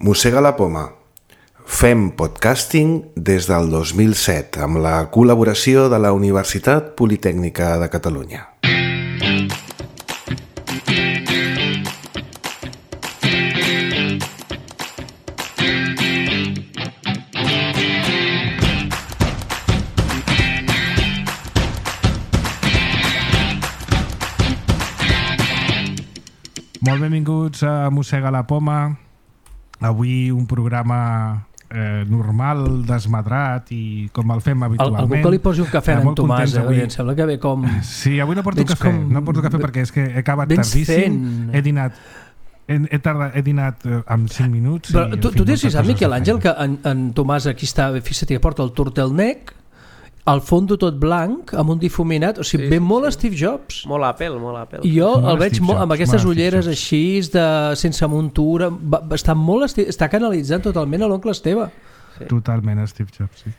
Mossega la poma. Fem podcasting des del 2007 amb la col·laboració de la Universitat Politècnica de Catalunya. Molt benvinguts a Mossega la poma. Avui un programa normal, desmadrat i com el fem habitualment. Algú que li posi un cafè en Tomàs, avui. Em sembla que ve com... Sí, avui no porto cafè, no porto cafè perquè és que he acabat tardíssim. He dinat en 5 minuts. Però tu tens fixat, Miquel Àngel, que en Tomàs aquí està, fixa't que porta el turtleneck, al fondo tot blanc, amb un difuminat, o sigui, ve molt Steve Jobs. Molt Apple, molt Apple. I jo el veig amb aquestes ulleres així, sense muntura, està canalitzant totalment a l'oncle Esteve. Sí. Totalment Steve Jobs, sí.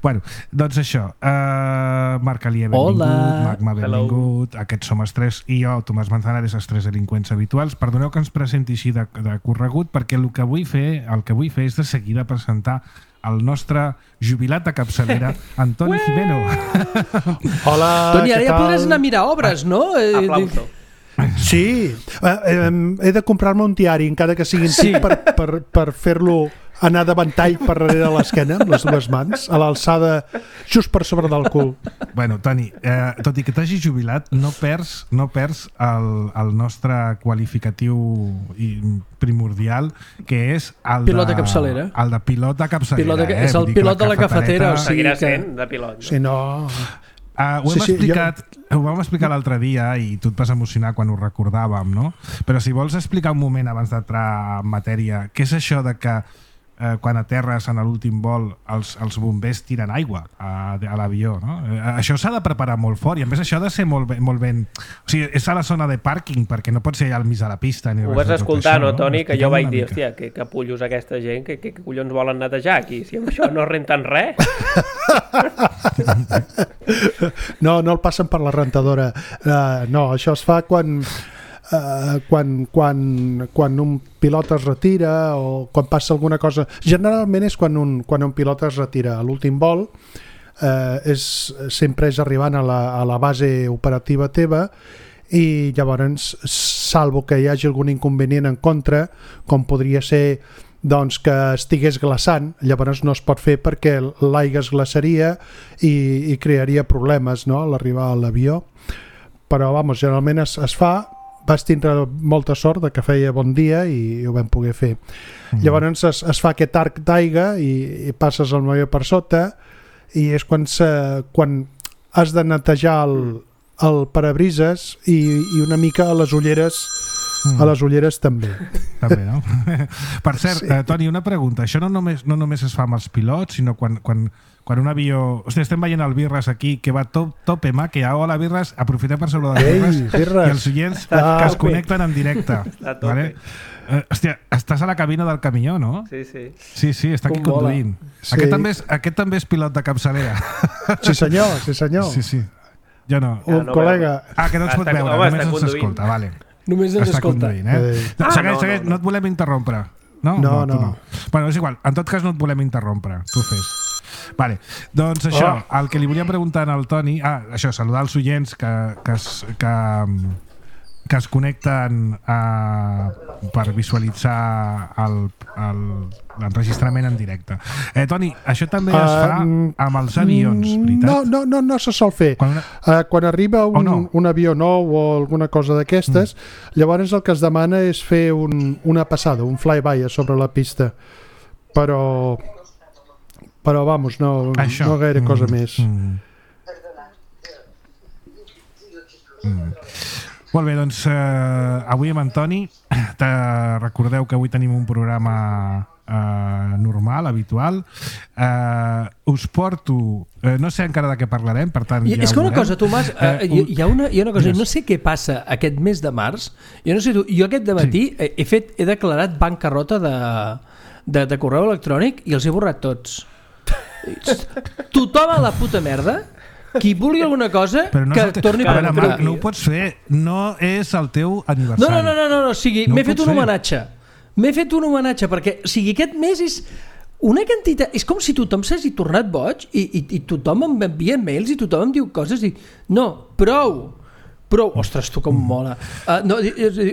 Bueno, doncs això, Marc Alier, benvingut, Magma, benvingut, aquests som els tres, i jo, Tomàs Manzanares, els tres delinqüents habituals. Perdoneu que ens presenti així de corregut, perquè el que vull fer és de seguida presentar el nostre jubilat de capçalera, Antoni Gimeno. Hola, Toni, ara ja podràs anar a mirar obres, no? Aplauso. Sí, he de comprar-me un diari, encara que sigui antic, per fer-lo anar de ventall per darrere de l'esquena amb les dues mans, a l'alçada just per sobre del cul. Bueno, Toni, tot i que t'hagis jubilat, no perds el nostre qualificatiu primordial, que és el pilot de capçalera. El de pilot de capçalera. És el pilot de la cafetera. Seguirà sent de pilot. Si no... Ho vam explicar l'altre dia i tu et vas emocionar quan ho recordàvem, no? Però si vols explicar un moment abans d'entrar en matèria, què és això de que quan aterres en l'últim vol els bombers tiren aigua a l'avió, no? Això s'ha de preparar molt fort i a més això ha de ser molt ben... O sigui, és a la zona de pàrquing perquè no pot ser allà al mig de la pista. Ho vas escoltar, no, Toni? Que jo vaig dir, hòstia, que capullos aquesta gent, que collons volen netejar aquí, si amb això no renten res. No el passen per la rentadora. No, això es fa quan un pilot es retira o quan passa alguna cosa. Generalment és quan un pilot es retira a l'últim vol, sempre és arribant a la base operativa teva i llavors, salvo que hi hagi algun inconvenient en contra, com podria ser doncs que estigués glaçant, llavors no es pot fer perquè l'aigua es glaçaria i crearia problemes, no?, a l'arribar a l'avió. Però generalment es fa. Vas tindre molta sort de que feia bon dia i ho vam poder fer. Llavors es fa aquest arc d'aigua i passes el avió per sota i és quan has de netejar el parabrises i una mica a les ulleres també. També, no? Per cert, sí. Toni, una pregunta. Això no només es fa amb els pilots, sinó quan un avió... Hosti, estem veient el Birras aquí, que va top ema, que hola Birras, aprofitem per sobre de Birras i els oients que es connecten en directe. Vale? Hòstia, estàs a la cabina del camió, no? Sí. Sí, està aquí conduint. Sí. Aquest també és pilot de capçalera. Sí, senyor. Sí. Jo no. Un col·lega. Que no ens pot veure, només ens escolta, vale. Només ens escolta. Segueix, no et volem interrompre. No. Bueno, és igual, en tot cas no et volem interrompre. Tu fes. Vale, doncs això, el que li volia preguntar al Toni, això, saludar els oients que es connecten per visualitzar l'enregistrament en directe. Toni, això també es fa amb els avions, veritat? No se sol fer. Quan arriba un avió nou o alguna cosa d'aquestes, llavors el que es demana és fer una passada, un flyby a sobre la pista. Però vamos, no gaire cosa més. Molt bé, doncs avui amb Antoni, recordeu que avui tenim un programa normal, habitual. Us porto, no sé encara de què parlarem, per tant ja és que una cosa, Tomàs, hi ha una cosa, no sé què passa aquest mes de març, jo aquest dematí he declarat bancarrota de correu electrònic i els he borrat tots. Tothom a la puta merda. Qui vulgui alguna cosa que torni per veure, no ho pots fer, no és el teu aniversari. No, o sigui, m'he fet un homenatge. m'he fet un homenatge perquè, o sigui, aquest mes és una quantitat, és com si tothom s'hagi tornat boig i tothom em envia mails i tothom em diu coses i no, prou, ostres, tu com mola.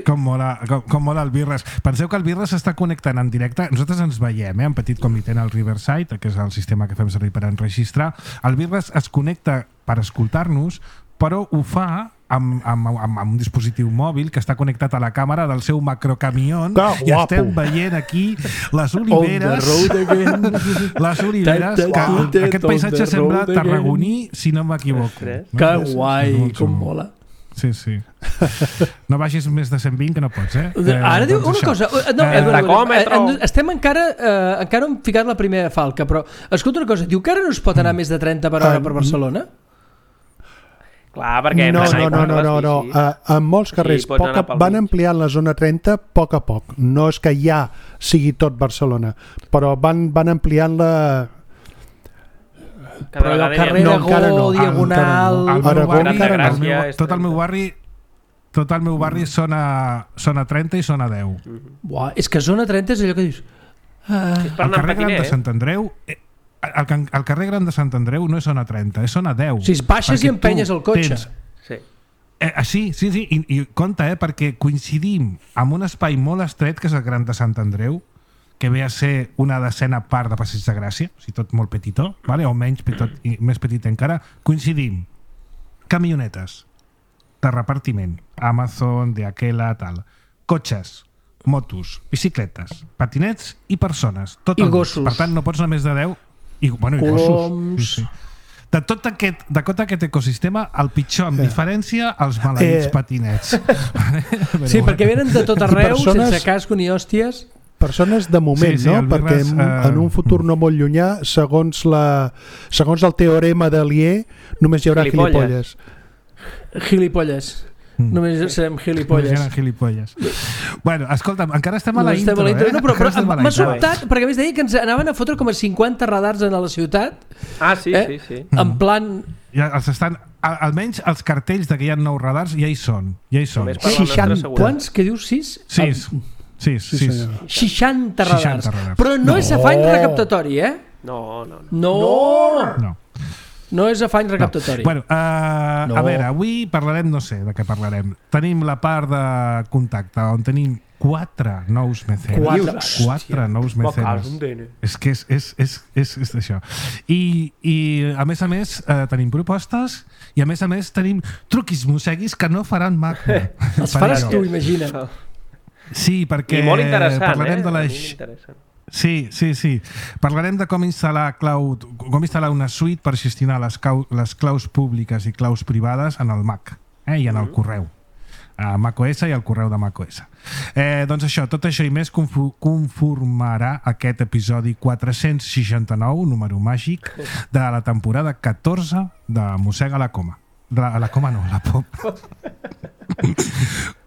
Com mola el Birres. Penseu que el Birres s'està connectant en directe. Nosaltres ens veiem, en petit comitè en el Riverside, que és el sistema que fem servir per enregistrar. El Birres es connecta per escoltar-nos, però ho fa amb un dispositiu mòbil que està connectat a la càmera del seu macrocamió i estem veient aquí les oliveres que aquest paisatge sembla tarragoní, si no m'equivoco. Que guai, com mola. Sí. No vagis més de 120 que no pots, Ara diu una cosa. Estem encara hem ficat la primera falca, però escolta una cosa, diu que ara no es pot anar més de 30 per hora per Barcelona? Clar, perquè... No. En molts carrers van ampliant la zona 30 a poc. No és que ja sigui tot Barcelona, però van ampliant-la... Però el carrer Aragó, Diagonal... Tot el meu barri zona 30 i zona 10. Buah, és que zona 30 és allò que dius... El carrer Gran de Sant Andreu... El carrer Gran de Sant Andreu no és zona 30, és zona 10. Si baixes i empenyes el cotxe. Sí. I compte, perquè coincidim amb un espai molt estret que és el Gran de Sant Andreu, que ve a ser una decena part de Passeig de Gràcia, o sigui, tot molt petitó, vale? O menys més petit encara. Coincidim. Camionetes de repartiment, Amazon, de Aquela, tal. Cotxes, motos, bicicletes, patinets i persones. I gossos. Per tant, no pots anar més de 10. I gossos. Sí. De tot aquest ecosistema, el pitjor, amb diferència, els maleïts patinets. Sí, perquè venen de tot arreu, sense casco ni hòsties. Persones de moment, no? Perquè en un futur no molt llunyà, segons el teorema d'Alier, només hi haurà gilipolles. Només serem gilipolles. Bueno, escolta'm, encara estem a la intro, No, però m'ha sobtat, perquè a més deia que ens anaven a fotre com a 50 radars a la ciutat. Sí. En plan... Ja els estan... Almenys els cartells que hi ha 9 radars ja hi són. 60, quants? Que dius 6? 6. 60 radars. Però no és afany recaptatori, No és afany recaptatori. Bueno, a veure, avui parlarem, no sé de què parlarem. Tenim la part de contacte on tenim 4 nous mecenes. 4 nous mecenes. És que és això. I a més, tenim propostes i a més tenim truquis mosseguis que no faran maco. Els faràs tu, imagina. Sí, perquè molt interessant, parlarem de Sí. Parlarem de com instal·lar una suite per gestionar les claus públiques i claus privades en el Mac i en el correu. A macOS i al correu de macOS. Doncs això, tot això i més conformarà aquest episodi 469, número màgic, de la temporada 14 de Mossega la Coma. La Coma no, la Poma.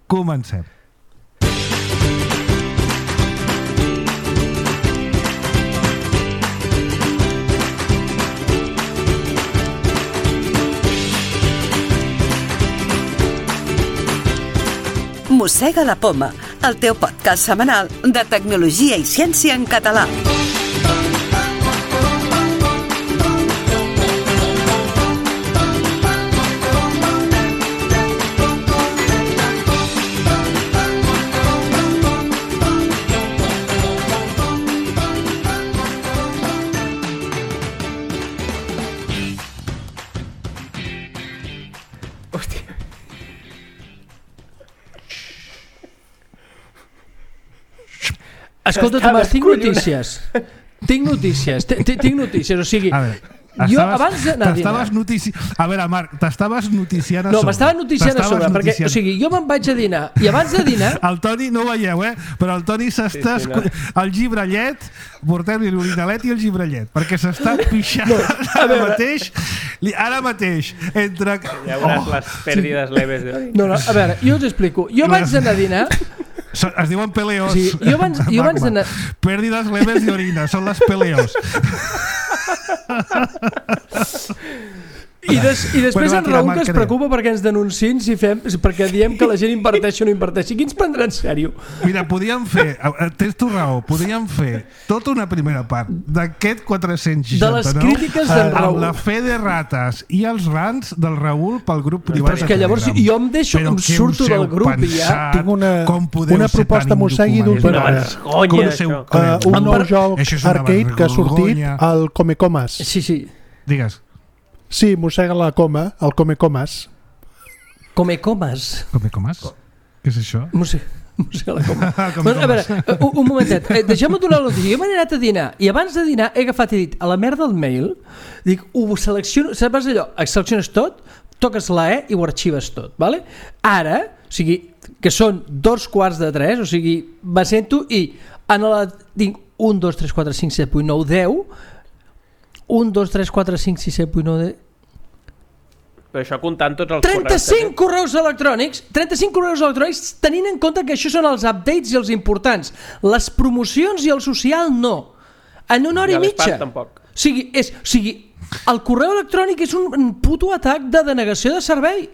Comencem. Mossega la Poma, el teu podcast setmanal de tecnologia i ciència en català. Escolta, Tomàs, tinc notícies, o sigui... Jo abans d'anar a dinar... A veure, Marc, t'estaves noticiant a sobre. No, m'estava noticiant a sobre, perquè, o sigui, jo me'n vaig a dinar, i abans de dinar... El Toni, no ho veieu, però el Toni s'està... El gibrallet, portem-li l'orinalet i el gibrallet, perquè s'està pixant ara mateix, entre... Ja veuràs les pèrdides leves d'orina. No, a veure, jo us explico. Jo abans d'anar a dinar... Es diuen peleos. Sí, jo abans d'anar... Pèrdides leves d'orina, són les peleos. I després en Raül que es preocupa perquè ens denunciïn perquè diem que la gent inverteixi o no inverteixi. Qui ens prendrà en sèrio? Mira, tens tu raó, podríem fer tota una primera part d'aquest 469 de les crítiques d'en Raül amb la fe de rates i els rants del Raül pel grup privat. Però és que llavors jo em surto del grup i ja tinc una proposta mossegui d'última hora. Un nou joc arcade que ha sortit al Comecomas. Sí. Digues. Sí, mossega la coma, el Comecomas. Comecomas? Què és això? Mossega la coma. A veure, un momentet, deixeu-me donar la notícia. Jo m'he anat a dinar i abans de dinar he agafat i dit a la merda del mail, dic, ho selecciono, saps allò, selecciones tot, toques la E i ho arxives tot, vale? Ara, o sigui, que són 2:15, o sigui, m'assento i tinc 1, 2, 3, 4, 5, 7, 8, 9, 10. 1, 2, 3, 4, 5, 6, 7, 8, 9, 10. Però això comptant tots els 35 correus electrònics, 35 correus electrònics, tenint en compte que això són els updates i els importants. Les promocions i el social no. En una hora i mitja. Tampoc. O sigui, el correu electrònic és un puto atac de denegació de servei.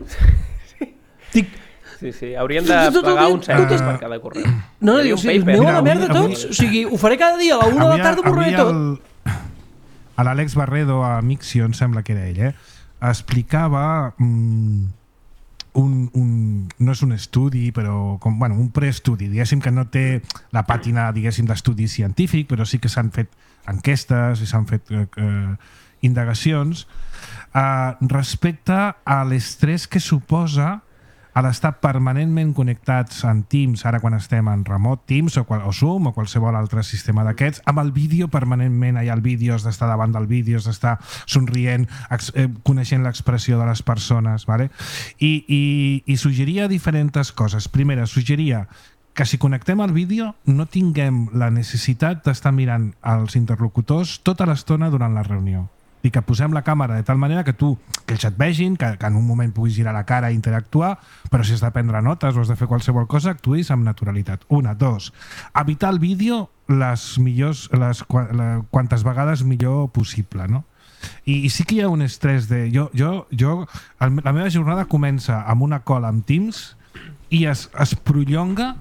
Sí, hauríem de pagar un cèntim per cada correu. No, diu, aneu a la merda tots. O sigui, ho faré cada dia, a la 1 de la tarda ho borraré tot. L'Àlex Barredo a Mixio, em sembla que era ell, explicava no és un estudi, però un preestudi, diguéssim que no té la pàtina d'estudi científic, però sí que s'han fet enquestes i s'han fet indagacions respecte a l'estrès que suposa a l'estar permanentment connectats en Teams, ara quan estem en remot, Teams o Zoom o qualsevol altre sistema d'aquests, amb el vídeo permanentment, allà el vídeo, has d'estar davant del vídeo, has d'estar somrient, coneixent l'expressió de les persones, ¿vale? I suggeria diferents coses. Primera, suggeria que si connectem al vídeo no tinguem la necessitat d'estar mirant els interlocutors tota l'estona durant la reunió. I que posem la càmera de tal manera que ells et vegin, que en un moment puguis girar la cara i interactuar, però si has de prendre notes o has de fer qualsevol cosa, actuïs amb naturalitat. 1, 2. Evitar el vídeo quantes vegades millor possible, no? I sí que hi ha un estrès de... La meva jornada comença amb una call amb Teams i es prolonga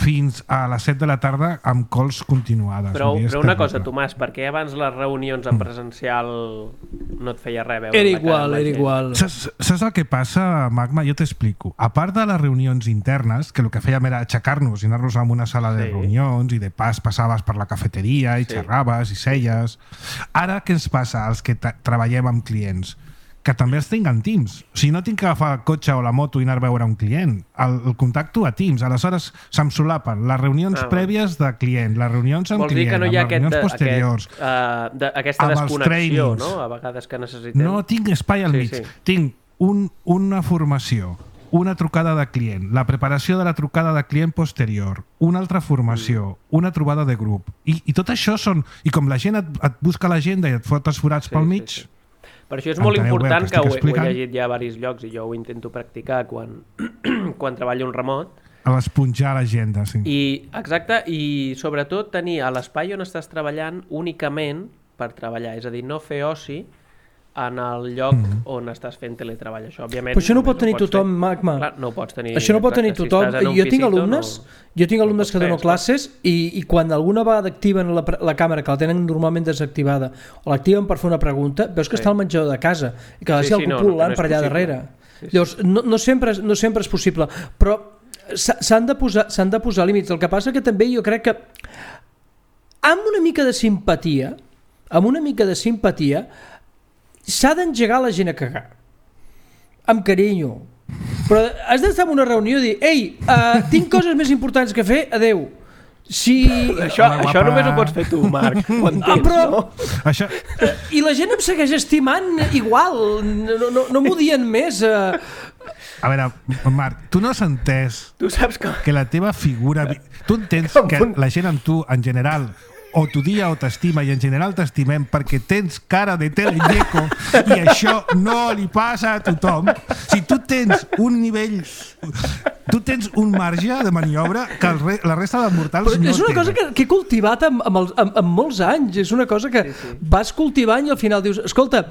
fins a les 7 de la tarda amb calls continuades. Però una cosa, Tomàs, per què abans les reunions en presencial no et feia res veure? Era igual. Saps el que passa, Magma? Jo t'explico. A part de les reunions internes, que el que fèiem era aixecar-nos i anar-nos a una sala de reunions i de pas passaves per la cafeteria i xerraves i seies. Ara què ens passa als que treballem amb clients? Que també els tinc en Teams. O sigui, no tinc que agafar el cotxe o la moto i anar a veure un client. El contacto a Teams. Aleshores se'm solapen les reunions prèvies de client, les reunions amb client, no amb les reunions posteriors, aquesta desconnexió, no? A vegades que necessitem. No tinc espai al mig. Sí. Tinc una formació, una trucada de client, la preparació de la trucada de client posterior, una altra formació, una trobada de grup. I tot això són... I com la gent et busca l'agenda i et fot els forats pel mig... Sí. Per això és molt important, que ho he llegit ja a diversos llocs i jo ho intento practicar quan treballo en remot. A l'esponjar l'agenda, sí. Exacte, i sobretot tenir a l'espai on estàs treballant únicament per treballar, és a dir, no fer oci en el lloc on estàs fent teletreball. Això, òbviament, però això no ho pot tenir tothom, Magma. Clar, no ho pots tenir. Això no ho pot tenir tothom. Jo tinc alumnes que dono classes i quan alguna vegada activen la càmera, que la tenen normalment desactivada, o l'activen per fer una pregunta, veus que està al menjador de casa i que si algú pulant per allà darrere. Llavors, no sempre és possible, però s'han de posar límits. El que passa que també jo crec que amb una mica de simpatia s'ha d'engegar la gent a cagar amb carinyo, però has d'estar en una reunió i dir tinc coses més importants que fer, adeu. Això només ho pots fer tu, Marc, quan tens, no? I la gent em segueix estimant igual, no m'ho dient més. A veure, Marc, tu no has entès que la teva figura... Tu entens que la gent amb tu, en general, o t'odia o t'estima, i en general t'estimem perquè tens cara de teleñeco i això no li passa a tothom. Si tu tens un nivell tu tens un marge de maniobra que la resta de mortals no és una cosa que he cultivat amb molts anys, és una cosa que vas cultivant i al final dius, escolta,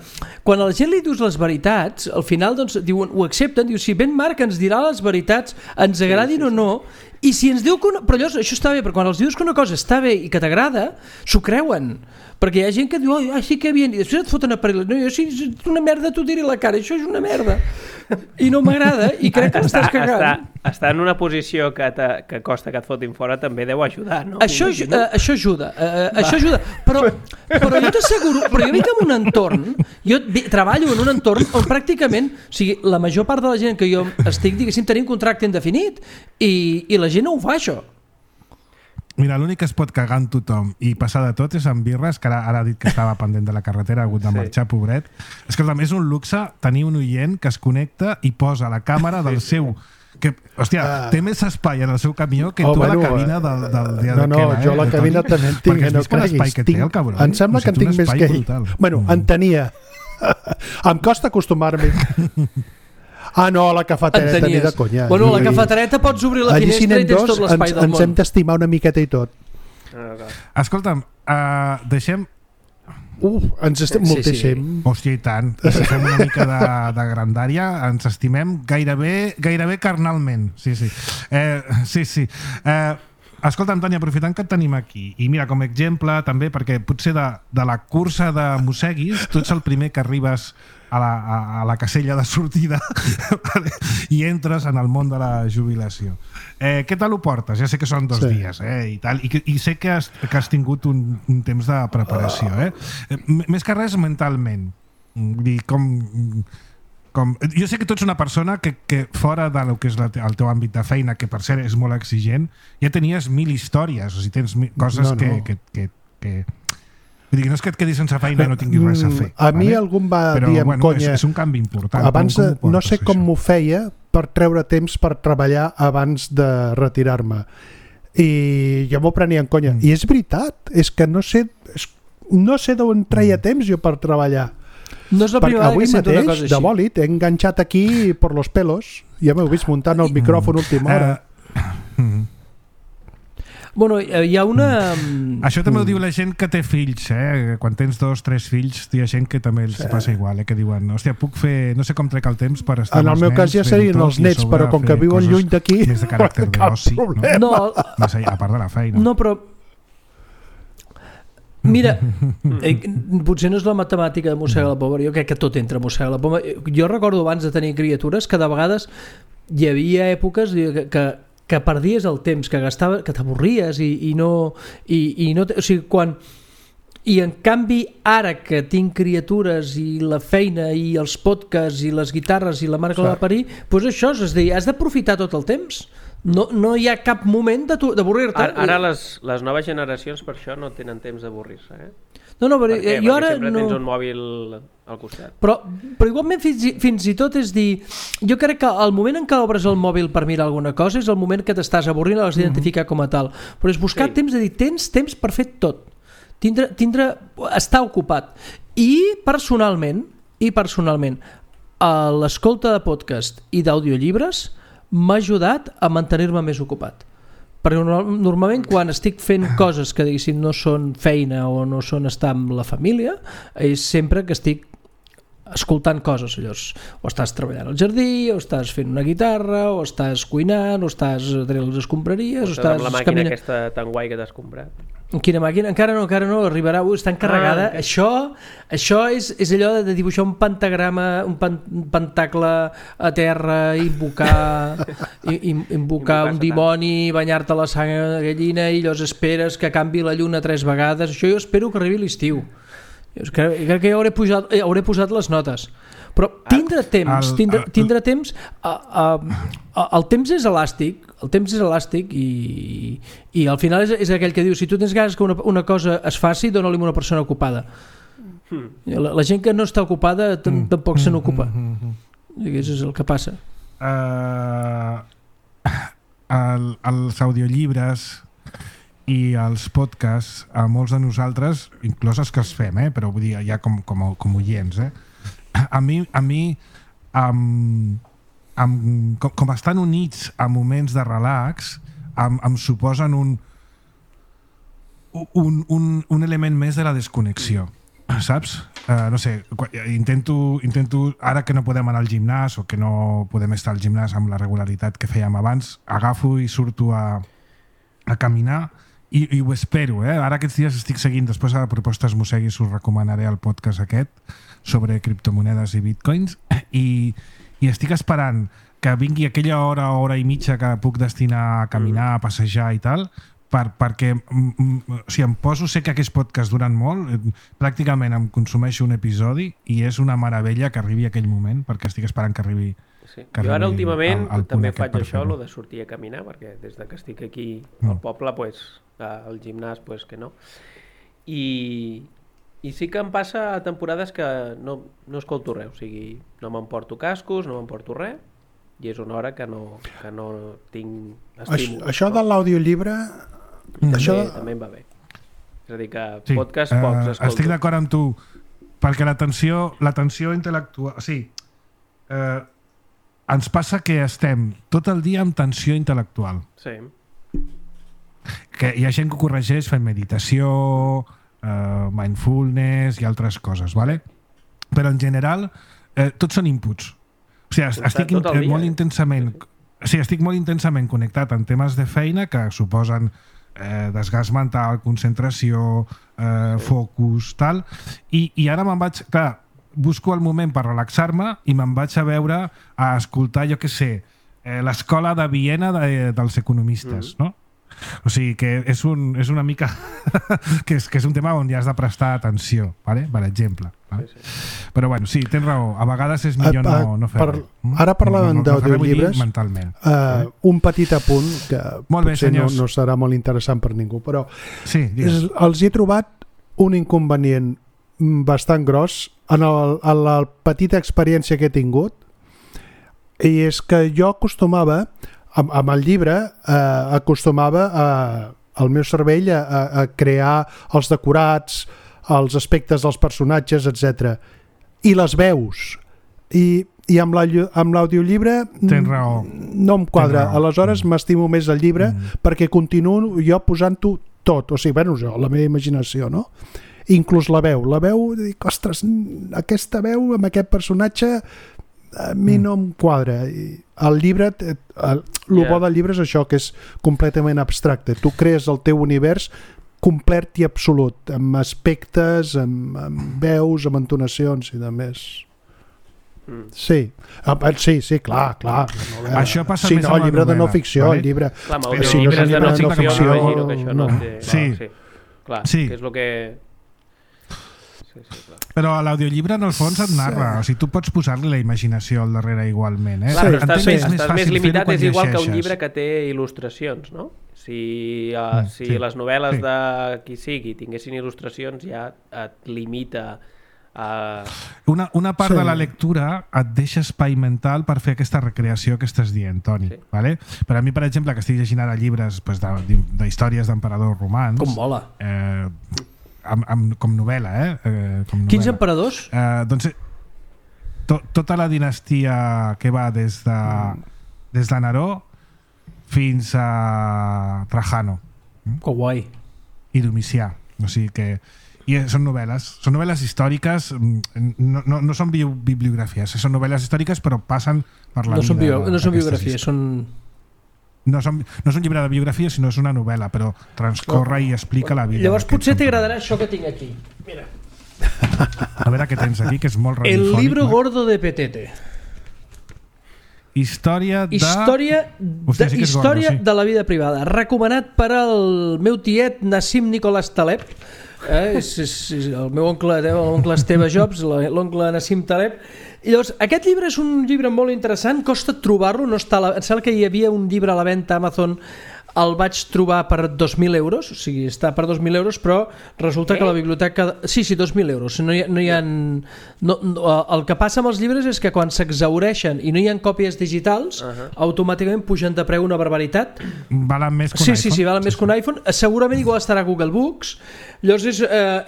quan a la gent li dius les veritats, al final doncs, diuen, ho accepten, diu, si Ben Marc ens dirà les veritats, ens agradin o no, i si ens diu que però allò, això està bé, però quan els dius que una cosa està bé i que t'agrada, s'ho creuen, perquè hi ha gent que diu, sí que bien, i després et foten a parlar, no, jo si és una merda t'ho diré a la cara, això és una merda i no m'agrada i crec que l'estàs cagant. Estar en una posició que costa que et fotin fora també deu ajudar, no? Això ajuda, però jo t'asseguro, però jo vinc en un entorn, jo treballo en un entorn on pràcticament, o sigui, la major part de la gent que jo estic, diguéssim, tenim contracte indefinit i la gent no ho fa, això. Mira, l'únic que es pot cagar en tothom i passar de tot és en Birres, que ara ha dit que estava pendent de la carretera, ha hagut de marxar, pobret. Escolta'm, és un luxe tenir un oient que es connecta i posa la càmera del seu... Que, hòstia, té més espai en el seu camió que tota la cabina del dia de Kela. Jo la cabina també en tinc, no creguis. Em sembla que en tinc més que ell. Bueno, en tenia. Em costa acostumar-me. No, la cafetereta ni de conya. Bueno, la cafetereta pots obrir la finestra i tens tot l'espai del món. Ens hem d'estimar una miqueta i tot. Escolta'm, deixem... ens estem moltíssim. Hòstia, i tant. Si fem una mica de grandària, ens estimem gairebé carnalment. Sí. Escolta, Antoni, aprofitant que et tenim aquí, i mira, com a exemple també, perquè potser de la cursa de mosseguis, tu ets el primer que arribes a la casella de sortida i entres en el món de la jubilació. Què tal ho portes? Ja sé que són 2 dies i tal, i sé que has tingut un temps de preparació. Més que res mentalment. Jo sé que tu ets una persona que fora del que és el teu àmbit de feina, que per cert és molt exigent, ja tenies 1000 històries, o sigui, tens coses que vull dir, no és que et quedis sense feina i no tinguis res a fer. A mi algú em va dir amb conya... És un canvi important. Abans no sé com m'ho feia per treure temps per treballar abans de retirar-me. I jo m'ho prenia en conya. I és veritat, és que no sé d'on treia temps jo per treballar. No és la primera vegada que sento una cosa així. Avui mateix, de bòlit, he enganxat aquí per los pelos. Ja m'heu vist muntant el micròfon última hora. Bueno, hi ha una... Això també ho diu la gent que té fills, quan tens 2 o 3 fills hi ha gent que també els passa igual, que diuen, hòstia, puc fer, no sé com trec el temps per estar amb els nens. En el meu cas ja serien els nets, però com que viuen lluny d'aquí més de caràcter d'oci, no? A part de la feina. No, però mira, potser no és la matemàtica de mossegar la poma, jo crec que tot entra a mossegar la poma. Jo recordo abans de tenir criatures que de vegades hi havia èpoques que perdies el temps, que t'avorries i no... O sigui, I en canvi, ara que tinc criatures i la feina i els podcasts i les guitarres i la marca de parir, doncs això, és a dir, has d'aprofitar tot el temps. No hi ha cap moment d'avorrir-te. Ara les noves generacions per això no tenen temps d'avorrir-se, No, però jo ara sempre tens un mòbil al costat. Però igualment fins i tot és dir, jo crec que el moment en què obres el mòbil per mirar alguna cosa és el moment que t'estàs avorrint, l'has d'identificar com a tal. Però és buscar temps de dir, tens temps per fer tot. Estar ocupat. I personalment, l'escolta de podcast i d'audiollibres m'ha ajudat a mantenir-me més ocupat. Perquè normalment quan estic fent coses que diguéssim no són feina o no són estar amb la família, és sempre que estic escoltant coses, llavors o estàs treballant al jardí, o estàs fent una guitarra, o estàs cuinant, o estàs traient les escombraries, o estàs amb la màquina aquesta tan guai que t'has comprat. Quina màquina? Encara no, arribarà, està encarregada. Això és allò de dibuixar un pentagrama, un pentacle a terra, invocar un dimoni, banyar-te la sang de gallina i llavors esperes que canvi la lluna 3 vegades. Això jo espero que arribi l'estiu. Crec que ja hauré posat les notes. Però tindre temps, el temps és elàstic, i al final és aquell que diu, si tu tens ganes que una cosa es faci, dona-li una persona ocupada. La gent que no està ocupada tampoc se n'ocupa. Això és el que passa. Els audiollibres i els podcasts, a molts de nosaltres, inclús els que els fem, però vull dir, ja com oients, a mi com estan units a moments de relax, em suposen un element més de la desconnexió, saps? No sé, intento ara que no podem anar al gimnàs o que no podem estar al gimnàs amb la regularitat que fèiem abans, agafo i surto a caminar i ho espero, ara aquests dies estic seguint, després a Propostes Mosseguis us recomanaré el podcast aquest sobre criptomonedes i bitcoins i estic esperant que vingui aquella hora i mitja que puc destinar a caminar, a passejar i tal, perquè si em poso, sé que aquests podcasts duran molt, pràcticament em consumeixo un episodi i és una meravella que arribi aquell moment, perquè estic esperant que arribi. Sí. Jo ara últimament també faig això, lo de sortir a caminar, perquè des que estic aquí al poble, al gimnàs, que no. I sí que em passa a temporades que no escolto res, o sigui, no m'emporto cascos, no m'emporto res, i és una hora que no tinc estímul. Això de l'audiollibre... També em va bé. És a dir, que podcast pocs escolto. Estic d'acord amb tu, perquè l'atenció intel·lectual... O sigui, ens passa que estem tot el dia amb tensió intel·lectual. Sí. Que hi ha gent que ho corregeix fent meditació, mindfulness i altres coses, ¿vale? Però en general tots són inputs. O sigui, estic molt intensament connectat en temes de feina que suposen desgast mental, concentració, focus, tal, i ara me'n vaig... Clar, busco el moment per relaxar-me i me'n vaig a veure, a escoltar, jo què sé, l'escola de Viena dels economistes, no? O sigui que és una mica que és un tema on hi has de prestar atenció, ¿vale? Per exemple. Sí. Però bueno, sí, tens raó, a vegades és millor no fer-ho. Ara parlàvem d'audiollibres, un petit apunt que potser no serà molt interessant per ningú, però els he trobat un inconvenient bastant gros en la petita experiència que he tingut, i és que jo acostumava amb el llibre acostumava el meu cervell a crear els decorats, els aspectes dels personatges, etc. I les veus. I amb l'audiollibre no em quadra. Aleshores m'estimo més el llibre perquè continuo jo posant-ho tot. O sigui, bueno, la meva imaginació, no? Inclús la veu. La veu, dic, ostres, aquesta veu amb aquest personatge a mi no em quadra. El llibre, el bo del llibre és això, que és completament abstracte. Tu crees el teu univers complet i absolut, amb aspectes, amb veus, amb entonacions i de més. Sí, clar. Això passa més amb el llibre de no ficció, el llibre... Clar, el llibre de no ficció, imagino que això no té... Clar, que és el que... Clar. Però l'audiollibre en el fons et narra, o sigui, tu pots posar-li la imaginació al darrere igualment, Clar, estàs més limitat, és igual que un llibre que té il·lustracions, no? Si les novel·les de qui sigui tinguessin il·lustracions, ja et limita a... Una part de la lectura et deixa espai mental per fer aquesta recreació que estàs dient, Toni. Vale? Per a mi, per exemple, que estic llegint ara llibres d'històries d'emperadors romans... Com mola! Com novel·la, Quins emperadors? Doncs tota la dinastia que va des de Neró fins a Trajano. Que guai. I Domicià. O sigui que... I són novel·les històriques, no són bibliografies, són novel·les històriques però passen per la vida. No són biografies, són... No és un llibre de biografia, sinó és una novel·la, però transcorre i explica la vida. Llavors potser t'agradarà això que tinc aquí. Mira. A veure què tens aquí, que és molt radiofònic. El libro gordo de Petete. Història de la vida privada. Recomanat per al meu tiet Nassim Nicolás Taleb. És el meu oncle Esteve Jobs, l'oncle Nassim Taleb. I llavors, aquest llibre és un llibre molt interessant, costa trobar-lo, no està em sembla que hi havia un llibre a la venda a Amazon, el vaig trobar per 2.000 euros, o sigui, està per 2.000 euros, però resulta que la biblioteca... Sí, 2.000 euros. No hi ha... el que passa amb els llibres és que quan s'exhaureixen i no hi ha còpies digitals, automàticament pugen de preu una barbaritat. Valen més que un iPhone. Sí, valen més que un iPhone. Segurament igual estarà a Google Books. Llavors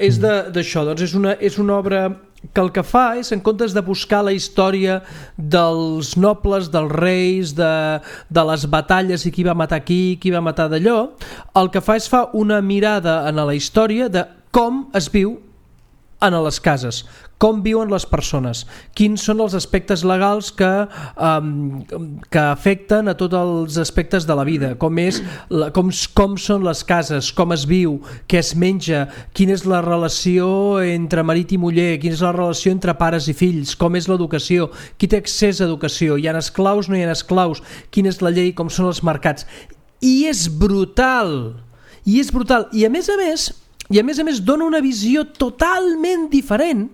és d'això, doncs és una obra que el que fa és, en comptes de buscar la història dels nobles, dels reis, de les batalles i qui va matar qui va matar d'allò, el que fa és fa una mirada en la història de com es viu en les cases, com viuen les persones, quins són els aspectes legals que afecten a tots els aspectes de la vida, com són les cases, com es viu, què es menja, quina és la relació entre marit i muller, quina és la relació entre pares i fills, com és l'educació, qui té accés a educació, hi ha esclaus, no hi ha esclaus, quina és la llei, com són els mercats. I és brutal, i a més dona una visió totalment diferent,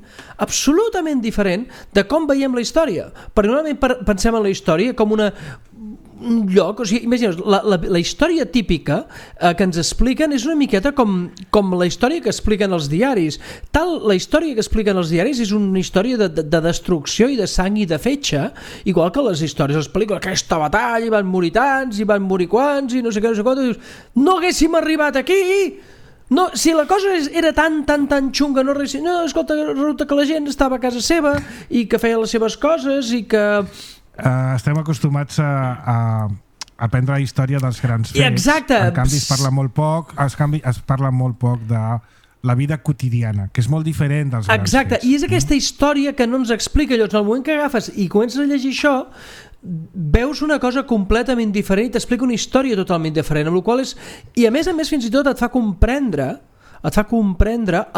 absolutament diferent, de com veiem la història. Perquè normalment pensem en la història com un lloc, o sigui, imagineu, la història típica que ens expliquen és una miqueta com la història que expliquen els diaris. La història que expliquen els diaris és una història de destrucció i de sang i de fetge, igual que les històries, les pel·lícules, aquesta batalla, i van morir tants, i van morir quants, i no sé què, no sé quant, i dius, no haguéssim arribat aquí! No, si la cosa era tan xunga, no, escolta, resulta que la gent estava a casa seva i que feia les seves coses i que... Estem acostumats a aprendre la història dels grans fets. Exacte. En canvi es parla molt poc de la vida quotidiana, que és molt diferent dels grans fets. Exacte, i és aquesta història que no ens explica. Llavors, en el moment que agafes i comences a llegir això, veus una cosa completament diferent i t'explica una història totalment diferent, amb la qual és... I a més fins i tot et fa comprendre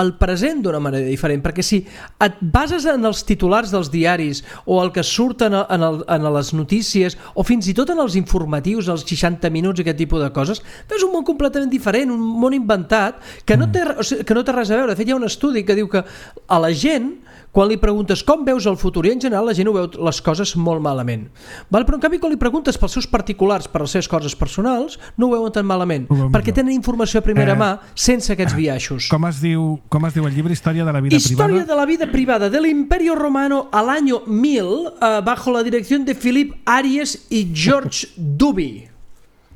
el present d'una manera diferent, perquè si et bases en els titulars dels diaris o el que surt en les notícies o fins i tot en els informatius, els 60 minuts i aquest tipus de coses, veus un món completament diferent, un món inventat que no té res a veure. De fet, hi ha un estudi que diu que a la gent, quan li preguntes com veus el futur, i en general la gent ho veu les coses molt malament, però en canvi quan li preguntes pels seus particulars, per les seves coses personals, no ho veuen tan malament, perquè tenen informació a primera mà sense aquests biaixos. Com es diu el llibre Història de la vida privada? Història de la vida privada del Imperio Romano al año 1000 bajo la dirección de Philippe Ariès i George Duby,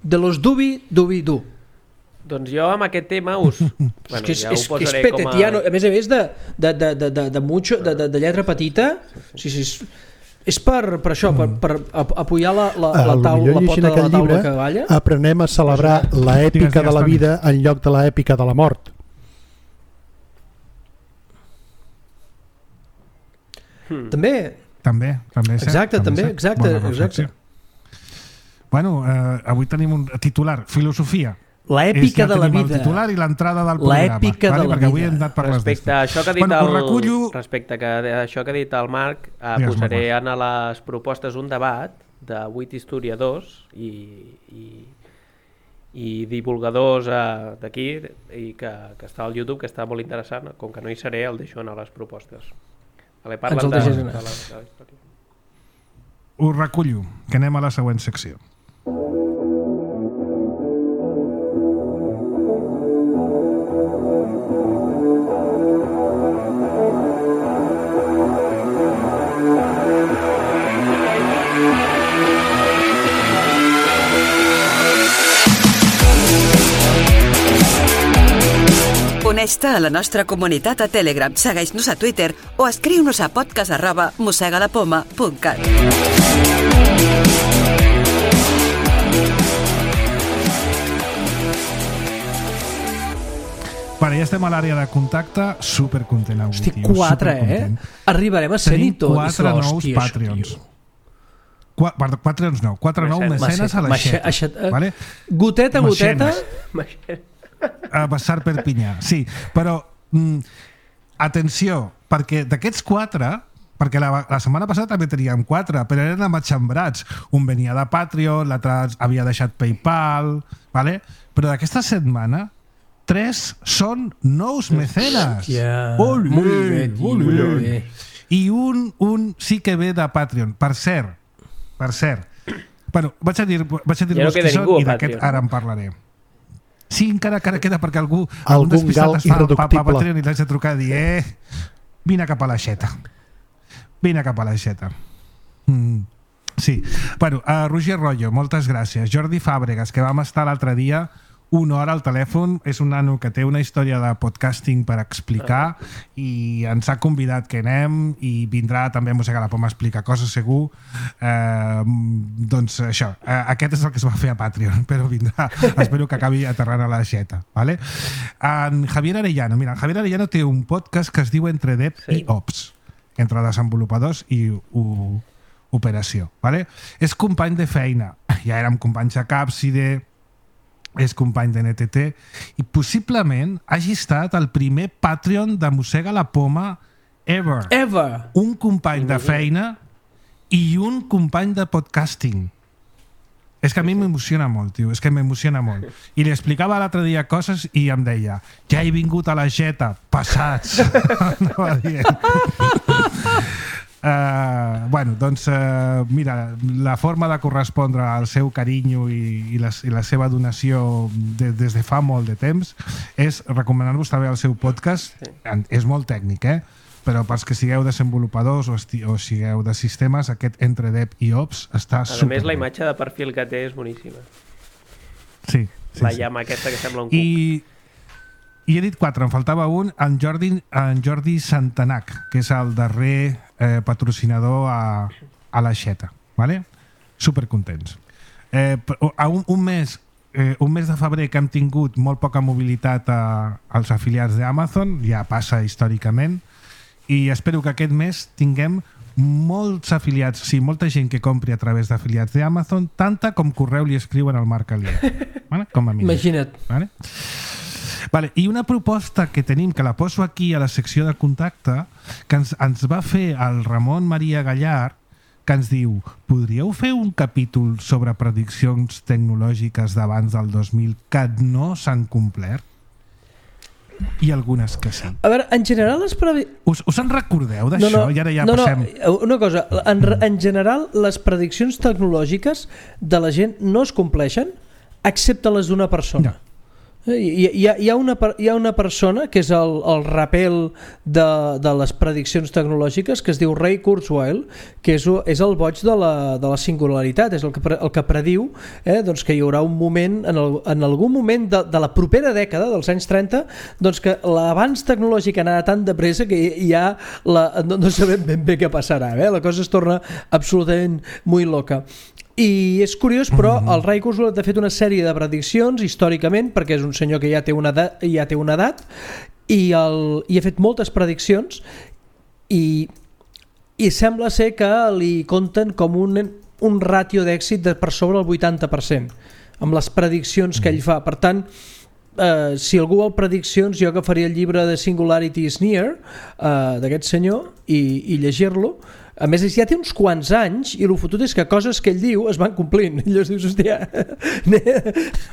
de los Duby. Doncs jo amb aquest tema ja ho posaré com a... A més de lletra petita, és per això, per apoyar la pota de la taula que balla. Aprenem a celebrar l'èpica de la vida en lloc de l'èpica de la mort. També. Exacte. Bueno, avui tenim un titular, filosofia. L'èpica de la vida. El titular i l'entrada del programa. L'èpica de la vida. Respecte a això que ha dit el Marc, posaré en les propostes un debat de 8 historiadors i divulgadors d'aquí i que està al YouTube, que està molt interessant. Com que no hi seré, el deixo anar a les propostes. Parlen de la història. Ho recullo, que anem a la següent secció. Uneix-te a la nostra comunitat a Telegram, segueix-nos a Twitter o escriu-nos a podcast@mossegalapoma.cat. Vale, ja estem a l'àrea de contacte, supercontent avui. Hosti, 4, Arribarem a 100 i tot. 4 nous Patreons. 4 nous mecenes a l'aixeta. Vale? Goteta. A Bassar Perpinyà, sí, però atenció, perquè d'aquests 4, perquè la setmana passada també teníem 4, però eren amatxambrats. Un venia de Patreon, l'altre havia deixat PayPal, vale? Però d'aquesta setmana 3 són nous mecenes. Olé. I un sí que ve de Patreon. Per cert. Bueno, vaig a dir-vos qui són i d'aquest ara en parlaré. Sí, encara queda perquè algun despistat es fa a Patreon i l'haig de trucar i dir vine cap a l'aixeta. Sí. Bueno, Roger Rollo, moltes gràcies. Jordi Fàbregas, que vam estar l'altre dia una hora al telèfon. És un nano que té una història de podcasting per explicar i ens ha convidat que anem i vindrà també a Mossega la Poma a explicar coses, segur. Doncs això, aquest és el que es va fer a Patreon, però vindrà, espero que acabi aterrant a la Xeta, ¿vale? En Javier Arellano, mira, Javier Arellano té un podcast que es diu Entre Dev i Ops, entre desenvolupadors i operació, ¿vale? És company de feina, ja érem companys a Capside, és company de NTT i possiblement hagi estat el primer Patreon de Mossega la Poma ever. Un company de feina i un company de podcasting. És que a mi m'emociona molt, tio, és que m'emociona molt. I li explicava l'altre dia coses i em deia, ja he vingut a la Xeta, passats. Anava dient. Bueno, doncs mira, la forma de correspondre al seu carinyo i la seva donació des de fa molt de temps és recomanar-vos també el seu podcast. És molt tècnic, però pels que sigueu desenvolupadors o sigueu de sistemes, aquest Entre Dev i Ops està superbé. A més, la imatge de perfil que té és boníssima. Sí. La llama aquesta que sembla un cuc. I he dit 4, em faltava un, en Jordi Santanac, que és el darrer patrocinador a la Xeta, ¿vale? Supercontents. Un mes de febrer que hem tingut molt poca mobilitat als afiliats d'Amazon, ja passa històricament, i espero que aquest mes tinguem molts afiliats, sí, molta gent que compri a través d'afiliats d'Amazon, tanta com correu li escriuen al Marc Alier, ¿vale? Com a mínim. Imagina't. ¿Vale? Vale, i una proposta que tenim, que la poso aquí a la secció de contacte, que ens va fer el Ramon Maria Gallard, que ens diu, podríeu fer un capítol sobre prediccions tecnològiques d'abans del 2000 que no s'han complert? I algunes que sí. A veure, en general les prediccions... Us en recordeu d'això? I ara ja passem... Una cosa, en general les prediccions tecnològiques de la gent no es compleixen, excepte les d'una persona. No. Hi ha una persona que és el rapel de les prediccions tecnològiques, que es diu Ray Kurzweil, que és el boig de la singularitat, és el que prediu doncs que hi haurà un moment en algun moment de la propera dècada dels anys 30, doncs que l'avanç tecnològic anarà tan de pressa que ja no sabem ben bé què passarà, la cosa es torna absolutament molt loca. I és curiós, però el Ray Kurzweil ha fet una sèrie de prediccions històricament, perquè és un senyor que ja té una edat i ha fet moltes prediccions i sembla ser que li compten com un ràtio d'èxit per sobre el 80% amb les prediccions que ell fa. Per tant, si algú vol prediccions, jo agafaria el llibre de Singularity is Near d'aquest senyor i llegir-lo. A més, ja té uns quants anys i el fotut és que coses que ell diu es van complint. I llavors dius, hòstia...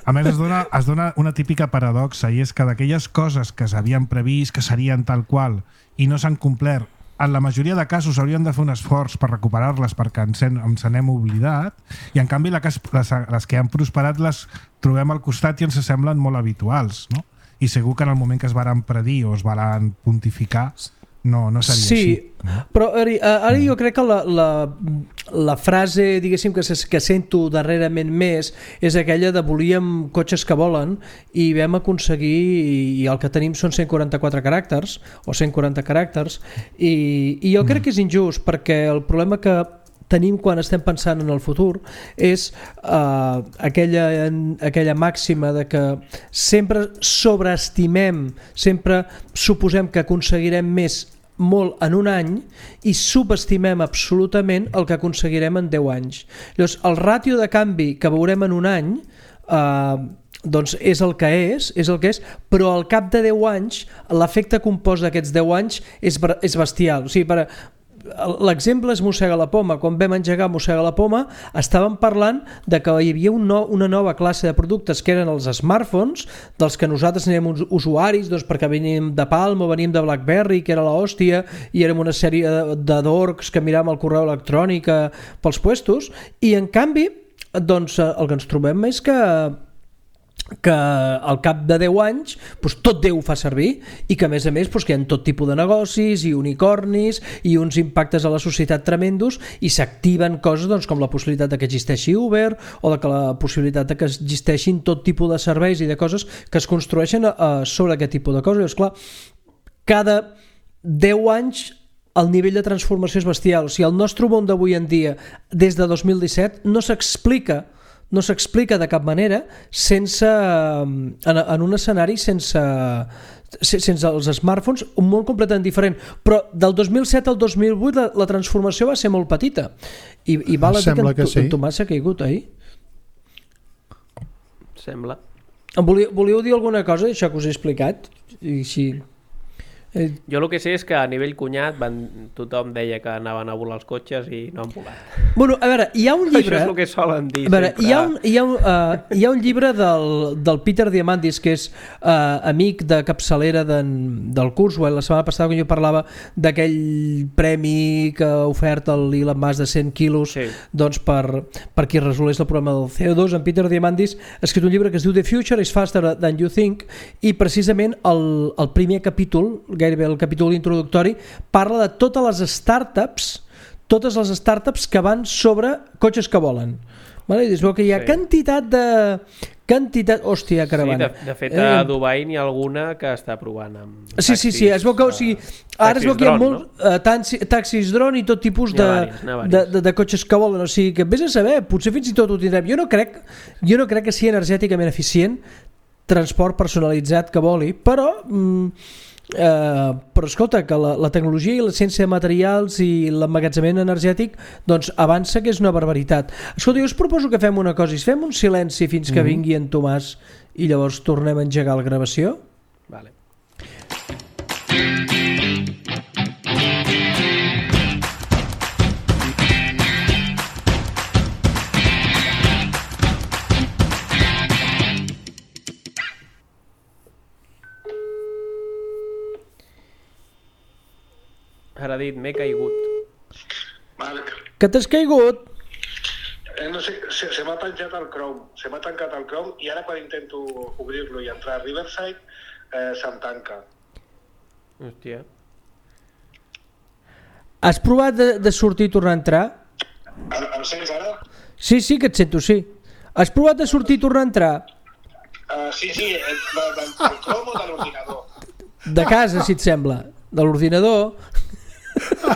A més, es dona una típica paradoxa, i és que d'aquelles coses que s'havien previst, que serien tal qual, i no s'han complert, en la majoria de casos hauríem de fer un esforç per recuperar-les perquè ens n'hem oblidat, i en canvi les que han prosperat les trobem al costat i ens semblen molt habituals, no? I segur que en el moment que es varen predir o es varen pontificar no seria així. Sí, però ara jo crec que la frase, diguéssim, que sento darrerament més és aquella de volíem cotxes que volen i vam aconseguir, i el que tenim són 144 caràcters o 140 caràcters, i jo crec que és injust, perquè el problema que tenim quan estem pensant en el futur és aquella màxima de que sempre sobreestimem, sempre suposem que aconseguirem molt en un any i subestimem absolutament el que aconseguirem en 10 anys. Llavors, el ràtio de canvi que veurem en un any doncs és el que és, però al cap de 10 anys l'efecte compost d'aquests 10 anys és bestial. O sigui, l'exemple és Mossega la Poma. Quan vam engegar Mossega la Poma estàvem parlant de que hi havia una nova classe de productes que eren els smartphones, dels que nosaltres érem usuaris, doncs perquè veníem de Palm o veníem de BlackBerry, que era l'hòstia, i érem una sèrie de dorcs que miràvem el correu electrònic pels puestos, i en canvi doncs, el que ens trobem és que que al cap de 10 anys tot Déu ho fa servir i que a més que hi ha tot tipus de negocis i unicornis i uns impactes a la societat tremendos i s'activen coses com la possibilitat de que existeixi Uber o de que la possibilitat de que existeixin tot tipus de serveis i de coses que es construeixen sobre aquest tipus de coses. I esclar, cada 10 anys el nivell de transformació és bestial. O sigui, el nostre món d'avui en dia des de 2017 no s'explica de cap manera sense, en un escenari sense els smartphones, un món completament diferent. Però del 2007 al 2008 la transformació va ser molt petita i val a dir que en Tomàs s'ha caigut ahir. Sembla. Volíeu dir alguna cosa d'això que us he explicat? I així... Jo el que sé és que a nivell cunyat tothom deia que anaven a volar els cotxes i no han volat. Bueno, a veure, hi ha un llibre... Això és el que solen dir. A veure, hi ha un llibre del Peter Diamandis, que és amic de capçalera del Kurzweil. La setmana passada quan jo parlava d'aquell premi que ha ofert l'Elon Musk de 100 quilos per qui resolés el problema del CO2, en Peter Diamandis ha escrit un llibre que es diu The Future is Faster Than You Think i precisament el primer capítol, gairebé el capítol introductori, parla de totes les startups que van sobre cotxes que volen. Vale? I es veu que hi ha quantitat... Hòstia, caravana. Sí, de fet, a Dubai n'hi ha alguna que està provant amb taxis. Sí, es veu que, ara es veu que hi ha molts taxis dron i tot tipus de cotxes que volen. O sigui, que vés a saber, potser fins i tot ho tindrem. Jo no crec que sigui energèticament eficient transport personalitzat que voli, però escolta, que la tecnologia i la ciència de materials i l'emmagatzemament energètic doncs avança, que és una barbaritat. Escolta, jo us proposo que fem una cosa, i fem un silenci fins que vingui en Tomàs i llavors tornem a engegar la gravació. Vale. Ara dit, m'he caigut. Marc. Que t'has caigut? No sé, se m'ha penjat el Chrome. Se m'ha tancat el Chrome i ara quan intento obrir-lo i entrar a Riverside se'm tanca. Hòstia. Has provat de sortir i tornar a entrar? Em sents ara? Sí, que et sento, sí. Has provat de sortir i tornar a entrar? Sí, del Chrome o de l'ordinador? De casa, si et sembla. De l'ordinador... No,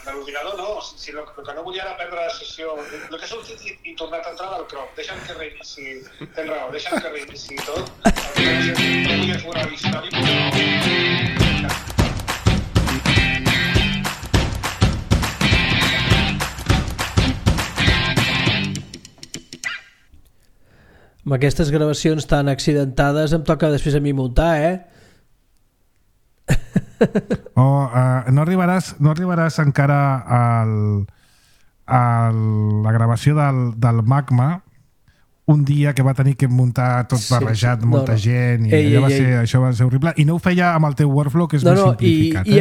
de l'ordinador no. Si el que no volia era perdre la sessió. El que he sortit i tornat a entrar del Chrome. Deixa'm que reinici. Tens raó, deixa'm que reinici tot. No volia fer una història, però... Amb aquestes gravacions tan accidentades em toca després a mi muntar, no arribaràs encara a la gravació del Magma, un dia que va tenir que muntar tot barrejat, molta gent, i això va ser horrible, i no ho feia amb el teu workflow, que és més simplificat. I hi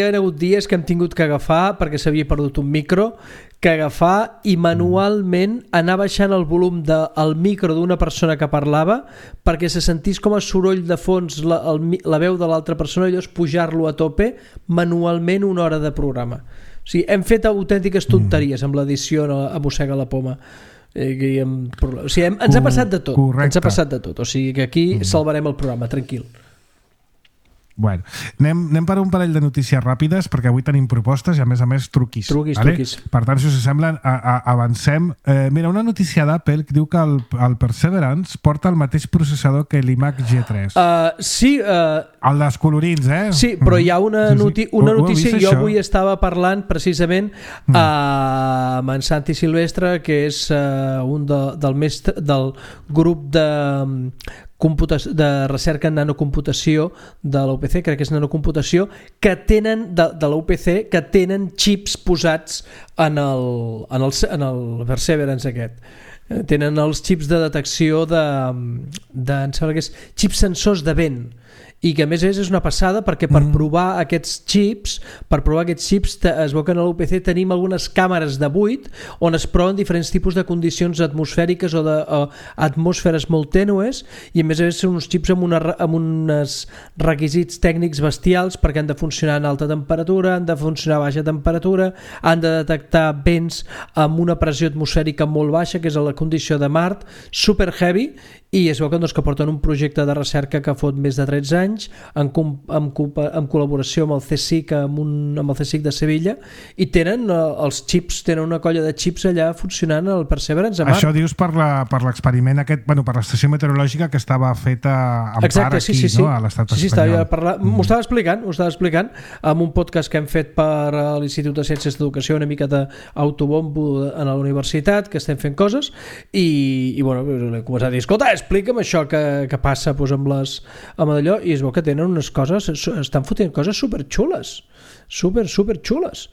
ha hagut dies que hem tingut que agafar, perquè s'havia perdut un micro, que agafar i manualment anar baixant el volum del micro d'una persona que parlava perquè se sentís com a soroll de fons la veu de l'altra persona i llavors pujar-lo a tope manualment una hora de programa. O sigui, hem fet autèntiques tonteries amb l'edició a Mossega la Poma. O sigui, ens ha passat de tot. Correcte. Ens ha passat de tot. O sigui que aquí salvarem el programa, tranquil. Bueno, anem per un parell de notícies ràpides perquè avui tenim propostes i a més truquis. Truquis. Per tant, si us sembla, avancem. Mira, una notícia d'Apple que diu que el Perseverance porta el mateix processador que l'iMac G3. Sí. El dels colorins, Sí, però hi ha una notícia. Jo avui estava parlant precisament amb en Santi Silvestre, que és un del grup de recerca en nanocomputació de la UPC, crec que és nanocomputació, que tenen de la UPC, que tenen xips posats en el Perseverance aquest. Tenen els xips de detecció em sembla que és xips sensors de vent, i que a més és una passada perquè per provar aquests xips es veu que a l'UPC tenim algunes càmeres de buit on es proven diferents tipus de condicions atmosfèriques o d'atmosferes molt tènues, i a més són uns xips amb uns requisits tècnics bestials perquè han de funcionar en alta temperatura, han de funcionar a baixa temperatura, han de detectar vents amb una pressió atmosfèrica molt baixa, que és la condició de Mart, super heavy, i es veu que porten un projecte de recerca que fot més de 13 anys en col·laboració amb el CSIC, amb el CSIC de Sevilla, i tenen els xips, tenen una colla de xips allà funcionant al Perseverance a Mart. Això dius per l'experiment aquest, per l'estació meteorològica que estava feta en part aquí, sí. No? A l'estat espanyol. M'ho estava explicant en un podcast que hem fet per l'Institut de Ciències d'Educació, una mica d'autobombo a la universitat, que estem fent coses, i bueno, l'he començat a dir, escolta, explica'm això que passa amb allò, i es veu que tenen unes coses, estan fotent coses superxules, super xules.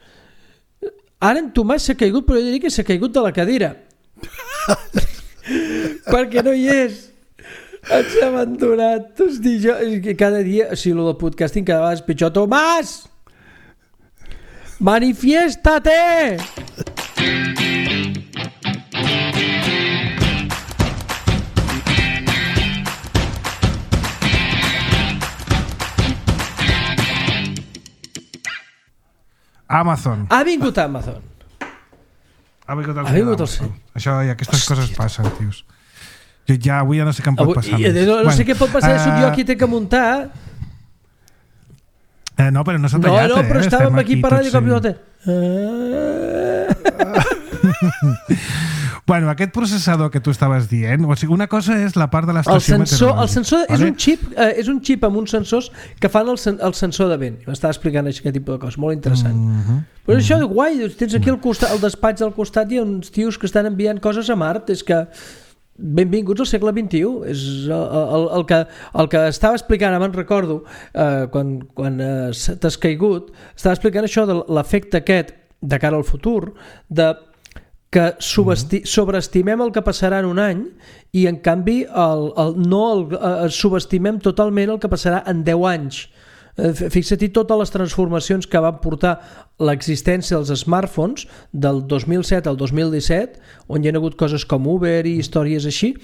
Ara en Tomàs s'ha caigut, però jo diria que s'ha caigut de la cadira perquè no hi és, ens ha abandonat. Hosti, cada dia, o sigui, el del podcasting cada vegada és pitjor. Tomàs, manifiéstate! Amazon. Ha vingut Amazon. Ha vingut el senyor. Això i aquestes coses passen, tios. Jo ja avui no sé què em pot passar. No sé què pot passar, soc jo qui té que muntar. No, però no s'ha tallat. No, però estàvem aquí parlant i cop i volta. Bueno, aquest processador que tu estaves dient, o sigui, una cosa és la part de l'estació meteorològica. El sensor és un xip amb uns sensors que fan el sensor de vent. M'estava explicant aquest tipus de coses, molt interessant. Però això és guai, tens aquí al despatx al costat hi ha uns tios que estan enviant coses a Mart, és que benvinguts al segle XXI. És el que estava explicant, ara me'n recordo, quan t'has caigut, estava explicant això de l'efecte aquest de cara al futur, que sobreestimem el que passarà en un any i en canvi subestimem totalment el que passarà en 10 anys. Fixa-t'hi totes les transformacions que van portar l'existència dels smartphones del 2007 al 2017, on hi ha hagut coses com Uber i històries així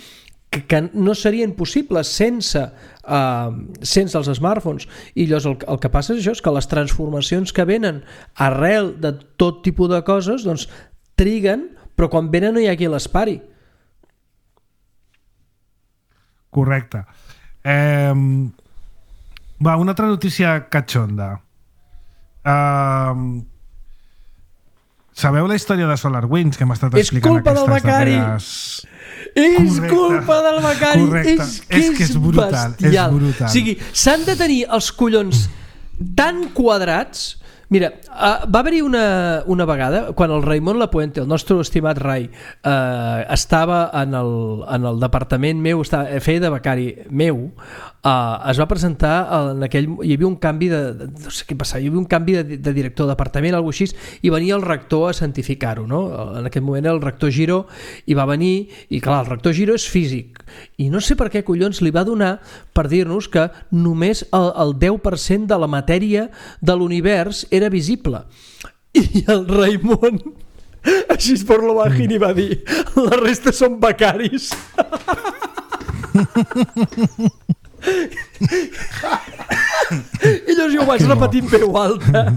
que no serien possibles sense els smartphones. I llavors el que passa és això, és que les transformacions que venen arrel de tot tipus de coses doncs triguen, però quan venen no hi ha qui l'espari. Correcte. Va, una altra notícia catxonda. Sabeu la història de SolarWinds que hem estat explicant aquestes darreres... És culpa del Becari. És que és brutal. O sigui, s'han de tenir els collons tan quadrats. Mira, va haver-hi una vegada quan el Raimon Lapuente, el nostre estimat Rai, estava en el departament meu, feia de becari meu, es va presentar hi havia un canvi no sé què passava, hi havia un canvi de director de departament, alguna cosa així, i venia el rector a certificar-ho, no? En aquest moment el rector Giró hi va venir, i clar, el rector Giró és físic, i no sé per què collons li va donar per dir-nos que només el 10% de la matèria de l'univers era visible. I el Raimon, així por lo bajín, va dir: la resta són becaris. I llavors jo ho vaig repetir en veu alta.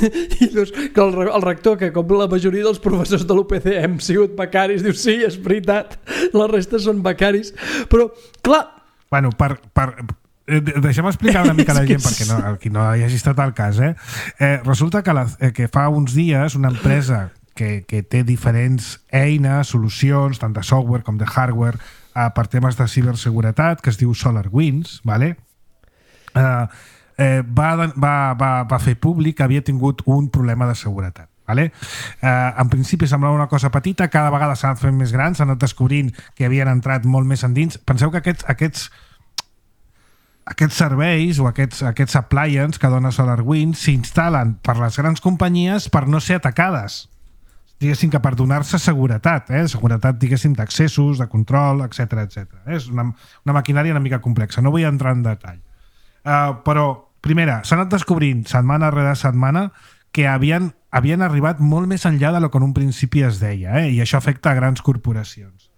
I llavors que el rector, que com la majoria dels professors de l'UPC hem sigut becaris, diu: sí, és veritat, la resta són becaris. Però, clar... Bueno, deixa'm explicar una mica a la gent perquè qui no hi hagi estat al cas. Resulta que fa uns dies una empresa que té diferents eines, solucions, tant de software com de hardware, per temes de ciberseguretat, que es diu SolarWinds, vale? Va fer públic que havia tingut un problema de seguretat. Vale? En principi semblava una cosa petita, cada vegada s'ha anat fent més gran, s'ha anat descobrint que havien entrat molt més endins. Penseu que aquests serveis o aquests appliances que dona SolarWinds s'instal·len per les grans companyies per no ser atacades, diguéssim, que per donar-se seguretat, seguretat, diguéssim, d'accessos, de control, etc. És una maquinària una mica complexa, no vull entrar en detall. Però, primera, s'ha anat descobrint setmana rere setmana que havien arribat molt més enllà del que en un principi es deia, i això afecta a grans corporacions.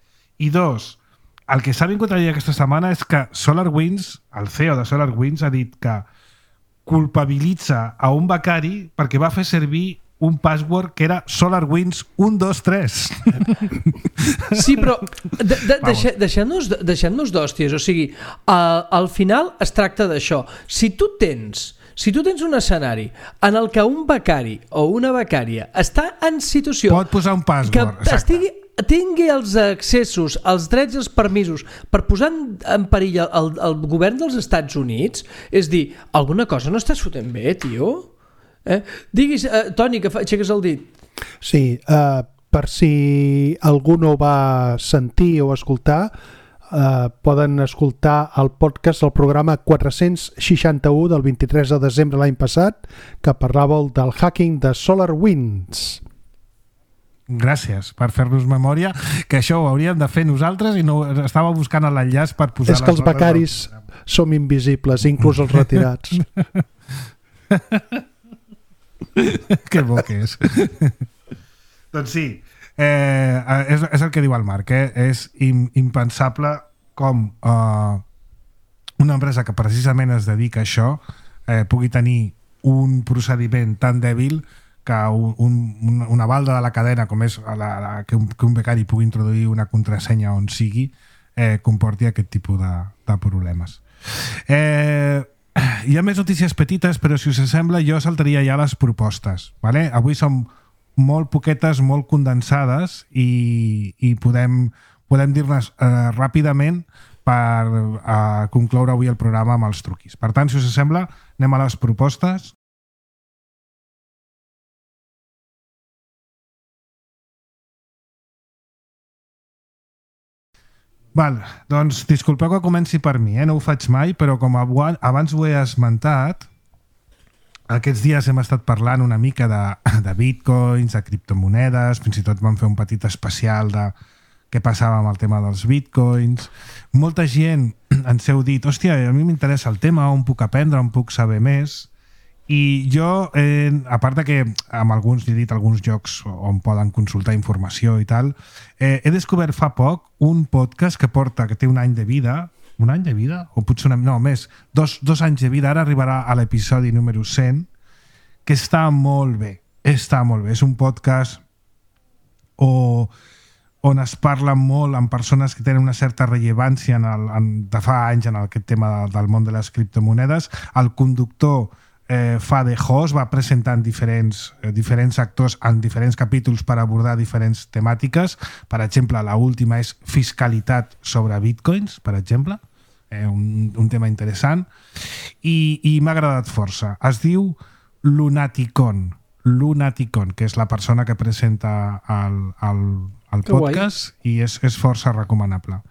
I dos, el que s'ha vingut a dir aquesta setmana és que SolarWinds, el CEO de SolarWinds, ha dit que culpabilitza a un becari perquè va fer servir un password que era SolarWinds 123. Sí, però deixem-nos d'hòsties. O sigui, al final es tracta d'això. Si tu tens un escenari en el que un becari o una becària està en situació... Pot posar un password, que tingui els accessos, els drets i els permisos per posar en perill el govern dels Estats Units, és dir, alguna cosa no estàs fotent bé, tio? Diguis, Toni, que aixeques el dit. Sí, per si algú no va sentir o escoltar, poden escoltar el podcast, el programa 461 del 23 de desembre l'any passat, que parlàveu del hacking de SolarWinds. Gràcies per fer-nos memòria, que això ho hauríem de fer nosaltres i no estava buscant l'enllaç per posar... És que els becaris som invisibles, inclús els retirats. Que bo que és. Doncs sí, és el que diu el Marc, és impensable com una empresa que precisament es dedica a això pugui tenir un procediment tan dèbil que una balda de la cadena com és que un becari pugui introduir una contrasenya on sigui comporti aquest tipus de problemes. Hi ha més notícies petites, però si us sembla jo saltaria ja les propostes, vale? Avui som molt poquetes, molt condensades i podem dir-ne ràpidament per concloure avui el programa amb els truquis. Per tant, si us sembla, anem a les propostes. Val, doncs disculpeu que comenci per mi, no ho faig mai, però com abans ho he esmentat, aquests dies hem estat parlant una mica de bitcoins, de criptomonedes, fins i tot vam fer un petit especial de què passava amb el tema dels bitcoins. Molta gent ens heu dit, hòstia, a mi m'interessa el tema, on puc aprendre, on puc saber més. I jo, a part de que amb alguns, he dit alguns llocs on poden consultar informació i tal, he descobert fa poc un podcast que té un any de vida, o potser més, dos anys de vida, ara arribarà a l'episodi número 100, que està molt bé. És un podcast on es parla molt amb persones que tenen una certa rellevància de fa anys en aquest tema del món de les criptomonedes. El conductor fa de host, va presentant diferents actors en diferents capítols per abordar diferents temàtiques. Per exemple, l'última és fiscalitat sobre bitcoins, per exemple, un tema interessant, i m'ha agradat força. Es diu Lunaticon, que és la persona que presenta el podcast, i és força recomanable.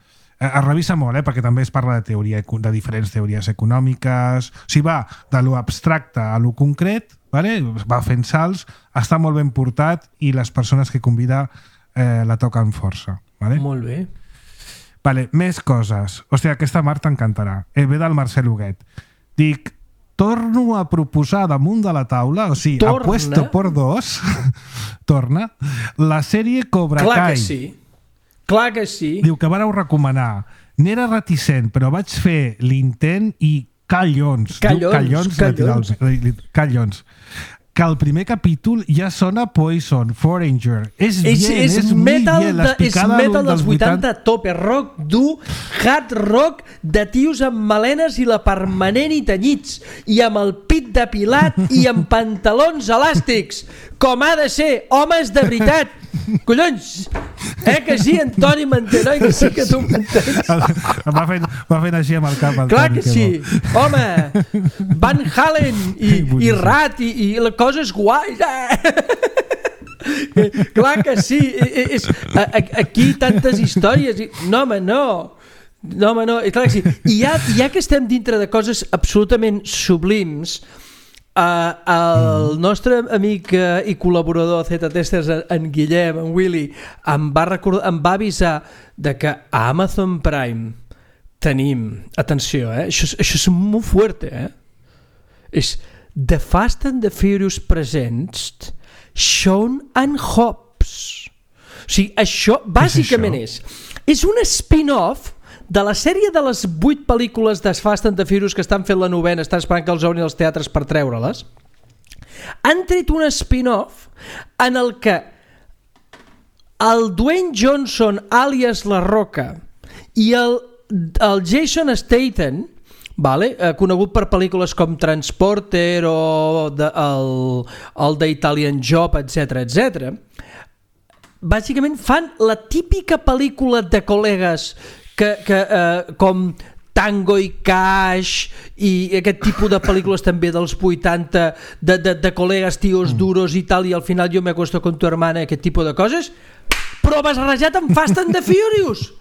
Es revisa molt, perquè també es parla de diferents teories econòmiques. O sigui, va de lo abstracte a lo concret, va fent salts, està molt ben portat i les persones que convida la toquen força. Molt bé. Més coses. Hòstia, aquesta Marta t'encantarà. Ve del Marcel Huguet. Dic, torno a proposar damunt de la taula, o sigui, apuesto por dos, torna, la sèrie Cobra Kai. Clar que sí. Clar que sí. Diu que vareu recomanar. N'era reticent, però vaig fer l'intent i callons. Que el primer capítol ja sona Poison, Foreigner. És metal dels 80 tope, rock dur, hard rock de tios amb melenes i la permanent i tenyits, i amb el pit depilat i amb pantalons elàstics, com ha de ser, homes de veritat. Collons, que sí, Antoni m'entén, que sí que tu m'entens. Va fent així amb el cap. Clar que sí, home, Van Halen i Rat i la cosa és guai. Clar que sí, aquí tantes històries. No, home, no. Clar que sí. I ja que estem dintre de coses absolutament sublims, el nostre amic i col·laborador Z-Testers, en Guillem, en Willy, em va avisar de que a Amazon Prime tenim, atenció, això és molt fuerte, és The Fast and the Furious Presents Shaun and Hobbs. O sigui, això bàsicament és un spin-off de la sèrie de les 8 pel·lícules de Fast and the Furious que estan fent la novena, estan esperant que els obrin als teatres per treure-les. Han tret un spin-off en el que el Dwayne Johnson alias La Roca i el Jason Statham, conegut per pel·lícules com Transporter o el The Italian Job, etc., bàsicament fan la típica pel·lícula de col·legues com Tango i Cash i aquest tipus de pel·lícules també dels 80 de col·legues, tios duros i tal, i al final jo me acuesto con tu hermana, aquest tipus de coses, però barrejat amb Fast and the Furious.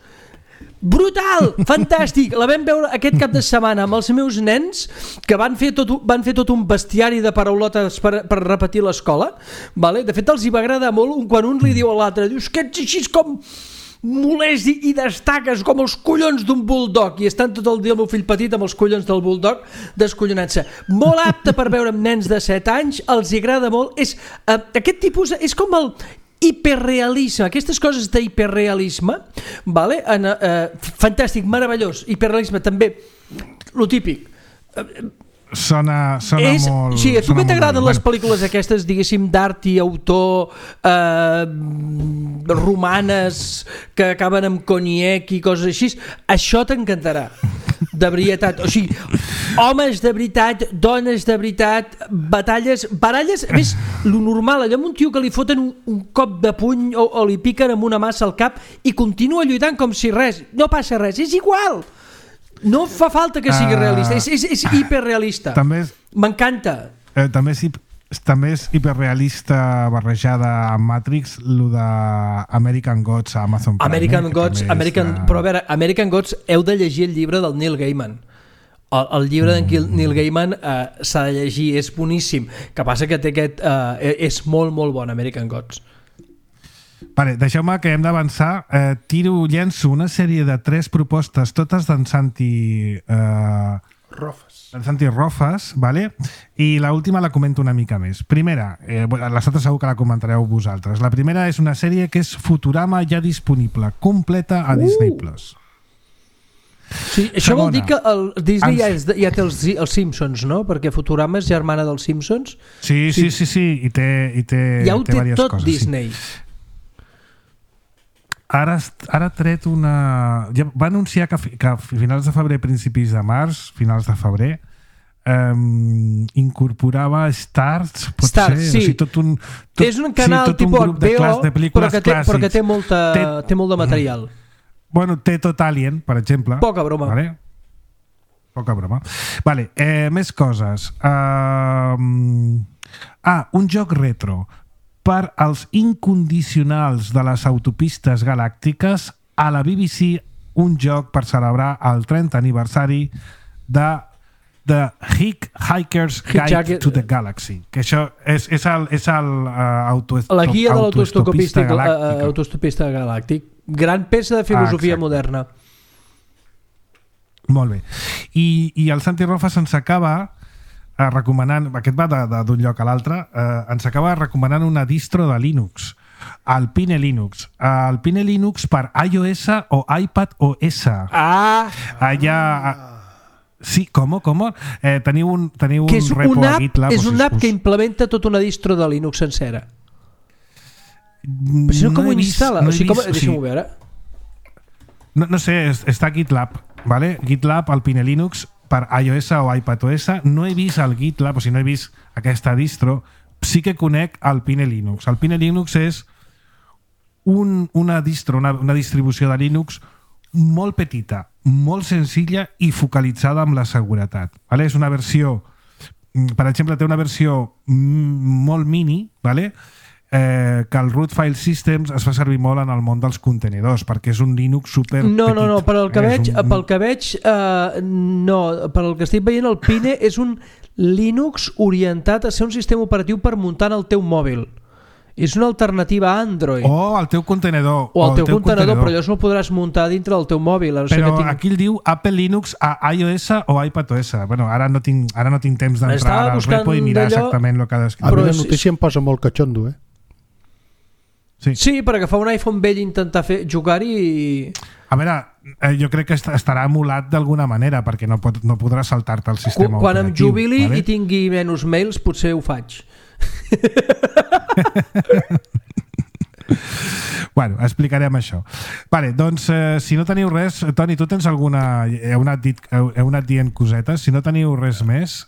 Brutal, fantàstic. La vam veure aquest cap de setmana amb els meus nens, que van fer tot un bestiari de paraulotes per repetir l'escola. De fet, els hi va agradar molt quan un li diu a l'altre, dius que ets així com molest i destaques com els collons d'un bulldog, i estan tot el dia el meu fill petit amb els collons del bulldog descollonant-se. Molt apte per veure amb nens de 7 anys, els hi agrada molt. Aquest tipus és com el hiperrealisme, aquestes coses d'hiperrealisme, fantàstic, meravellós. Hiperrealisme també, lo típic. Sona molt... Sí, a tu que t'agraden les pel·lícules aquestes, diguéssim, d'art i autor, romanes, que acaben amb coniac i coses així, això t'encantarà, de veritat. O sigui, homes de veritat, dones de veritat, baralles, més lo normal, allò amb un tio que li foten un cop de puny o li piquen amb una massa al cap i continua lluitant com si res, no passa res, és igual. No fa falta que sigui realista, és hiperrealista. M'encanta. També és hiperrealista barrejada amb Matrix, lo de American Gods a Amazon Prime. Però a veure, American Gods heu de llegir el llibre del Neil Gaiman. El llibre d'en Neil Gaiman s'ha de llegir, és boníssim. Que passa que té és molt, molt bon, American Gods. Vale, deixeu-me que hem d'avançar. Llenço una sèrie de 3 propostes, totes d'en Santi Rofas, vale? I l'última la comento una mica més. Primera, les altres segur que la comentareu vosaltres. La primera és una sèrie que és Futurama, ja disponible, completa a Disney+. Sí, això vol dir que el Disney ja té els Simpsons, no? Perquè Futurama és germana dels Simpsons. Sí. I té ja ho té tot coses, Disney. Sí. Ara ha tret una... Ja va anunciar que a finals de febrer, principis de març, finals de febrer, incorporava Stars, potser, sí. O sigui, és un canal tipus HBO, però que té molt de material. Bueno, té tot Alien, per exemple. Poca broma. Vale? Poca broma. Vale, més coses. Un joc retro per als incondicionals de les autopistes galàctiques, a la BBC, un joc per celebrar el 30 aniversari de The Hiker's Guide to the Galaxy, que això és la guia de l'autostopista galàctic. Gran peça de filosofia moderna. Molt bé. I el Santi Rofas ens acaba recomanant, aquest va d'un lloc a l'altre, ens acaba recomanant una distro de Linux, Alpine Linux. Alpine Linux per iOS o iPad OS. Allà... Sí, com? Teniu un repo a GitLab. És una app que implementa tota una distro de Linux sencera. Però si no, com ho instal·la? Deixa'm-ho veure. No sé, està a GitLab, ¿vale? GitLab, Alpine Linux, per iOS o iPadOS. No he vist el GitLab, o sigui, no he vist aquesta distro. Sí que conec Alpine Linux. Alpine Linux és una distro, una distribució de Linux molt petita, molt senzilla i focalitzada amb la seguretat. Vale? És una versió, per exemple, té una versió molt mini, vale? Que el root file systems es fa servir molt en el món dels contenidors, perquè és un Linux super petit. No, per el que estic veient, el Pine és un Linux orientat a ser un sistema operatiu per muntar en el teu mòbil. És una alternativa a Android. O al teu contenedor. O al teu contenedor, però allò se'l podràs muntar dintre del teu mòbil. Però aquí el diu Apple Linux a iOS o iPadOS. Bueno, ara no tinc temps d'entrar al repo i mirar exactament el que ha descrit. A mi la notícia em posa molt catxondo, Sí, per agafar un iPhone vell i intentar jugar-hi i... A veure, jo crec que estarà emulat d'alguna manera, perquè no podrà saltar-te el sistema Quan operatiu. em jubili i tingui menys mails, potser ho faig. Bueno, explicarem això. Vale, doncs, si no teniu res, Toni, tu tens alguna... Heu anat dient cosetes. Si no teniu res més,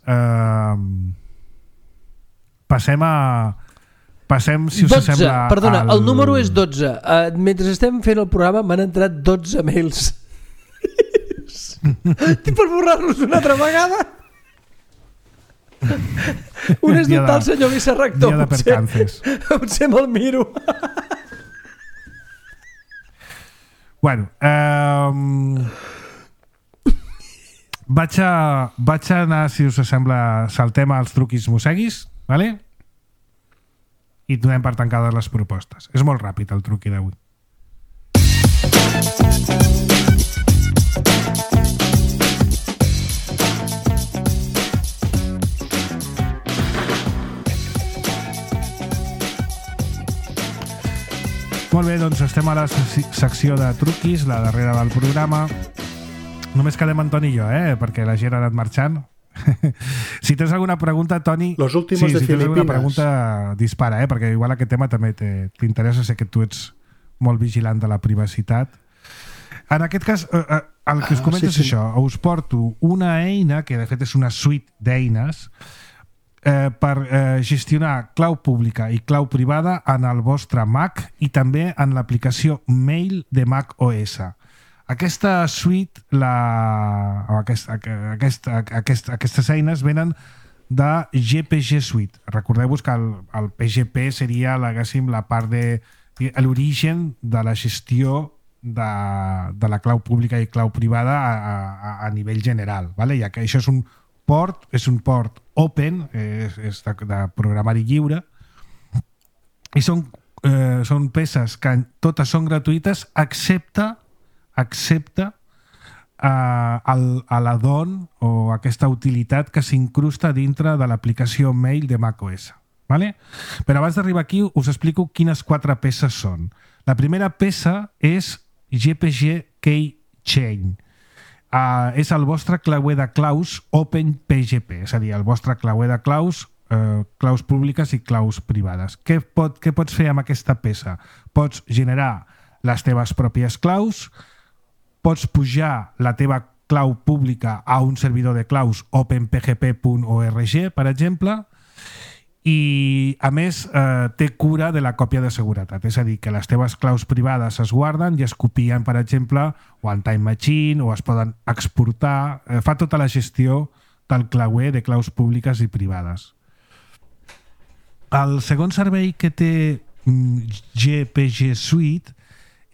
passem, si us 12, sembla... Perdona, el número és 12. Mentre estem fent el programa m'han entrat 12 mails. Per borrar-los una altra vegada. Un és d'un tal senyor vicerrector. Dia de percances. Potser me'l miro. Bueno, vaig anar, si us sembla, saltem als truquis mosseguis, vale? I donem per tancades les propostes. És molt ràpid el truqui d'avui. Molt bé, doncs estem a la secció de truquis, la darrera del programa. Només quedem en Toni i jo, perquè la gent ha anat marxant. Si tens alguna pregunta, Toni... Los últimos de si tens Filipinas. alguna pregunta, dispara, perquè igual aquest tema també t'interessa, sé que tu ets molt vigilant de la privacitat. En aquest cas, el que us comento és això. Us porto una eina, que de fet és una suite d'eines, per gestionar clau pública i clau privada en el vostre Mac i també en l'aplicació Mail de Mac OS. Aquesta suite, aquestes eines venen de GPG Suite. Recordeu-vos que el PGP seria la part de l'origen de la gestió de la clau pública i clau privada a nivell general, vale? Ja que això és un port open, és de programari lliure, i són peces que totes són gratuïtes excepte l'add-on o aquesta utilitat que s'incrusta dintre de l'aplicació Mail de macOS. Vale? Però abans d'arribar aquí us explico quines 4 peces són. La primera peça és GPG Keychain. És el vostre clauer de claus OpenPGP, és a dir, el vostre clauer de claus públiques i claus privades. Què pots fer amb aquesta peça? Pots generar les teves pròpies claus, pots pujar la teva clau pública a un servidor de claus openpgp.org, per exemple, i a més té cura de la còpia de seguretat, és a dir, que les teves claus privades es guarden i es copien, per exemple, o en Time Machine, o es poden exportar, fa tota la gestió del clauer de claus públiques i privades. El segon servei que té GPG Suite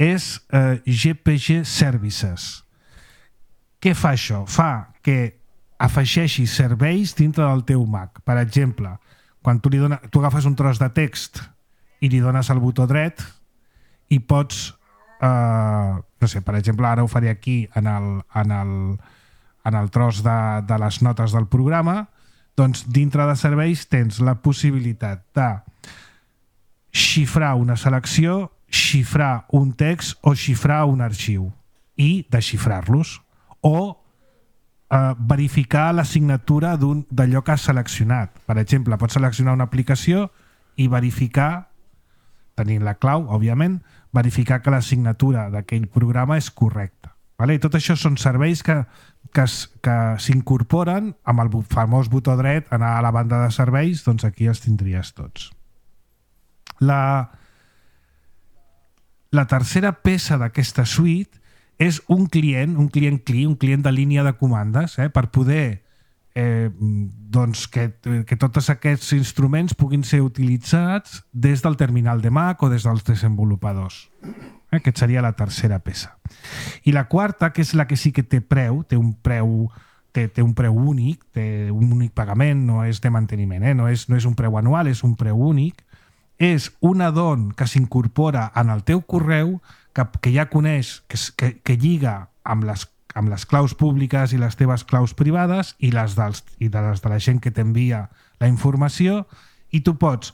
és GPG Services. Què fa això? Fa que afegeixi serveis dintre del teu Mac. Per exemple, quan tu agafes un tros de text i li dones el botó dret i pots, no sé, per exemple, ara ho faré aquí en el tros de les notes del programa, doncs dintre de serveis tens la possibilitat de xifrar una selecció, xifrar un text o xifrar un arxiu i desxifrar-los, o verificar la signatura d'allò que has seleccionat. Per exemple, pots seleccionar una aplicació i verificar, tenint la clau, òbviament, verificar que la signatura d'aquell programa és correcta. I tot això són serveis que s'incorporen amb el famós botó dret, anar a la banda de serveis, doncs aquí els tindries tots. La tercera peça d'aquesta suite és un client de línia de comandes, per poder que tots aquests instruments puguin ser utilitzats des del terminal de Mac o des dels desenvolupadors. Aquesta seria la tercera peça. I la quarta, que és la que sí que té preu, té un preu únic, té un únic pagament, no és de manteniment, no és un preu anual, és un preu únic, és un add-on que s'incorpora en el teu correu que ja coneix, que lliga amb les claus públiques i les teves claus privades i les de la gent que t'envia la informació, i tu pots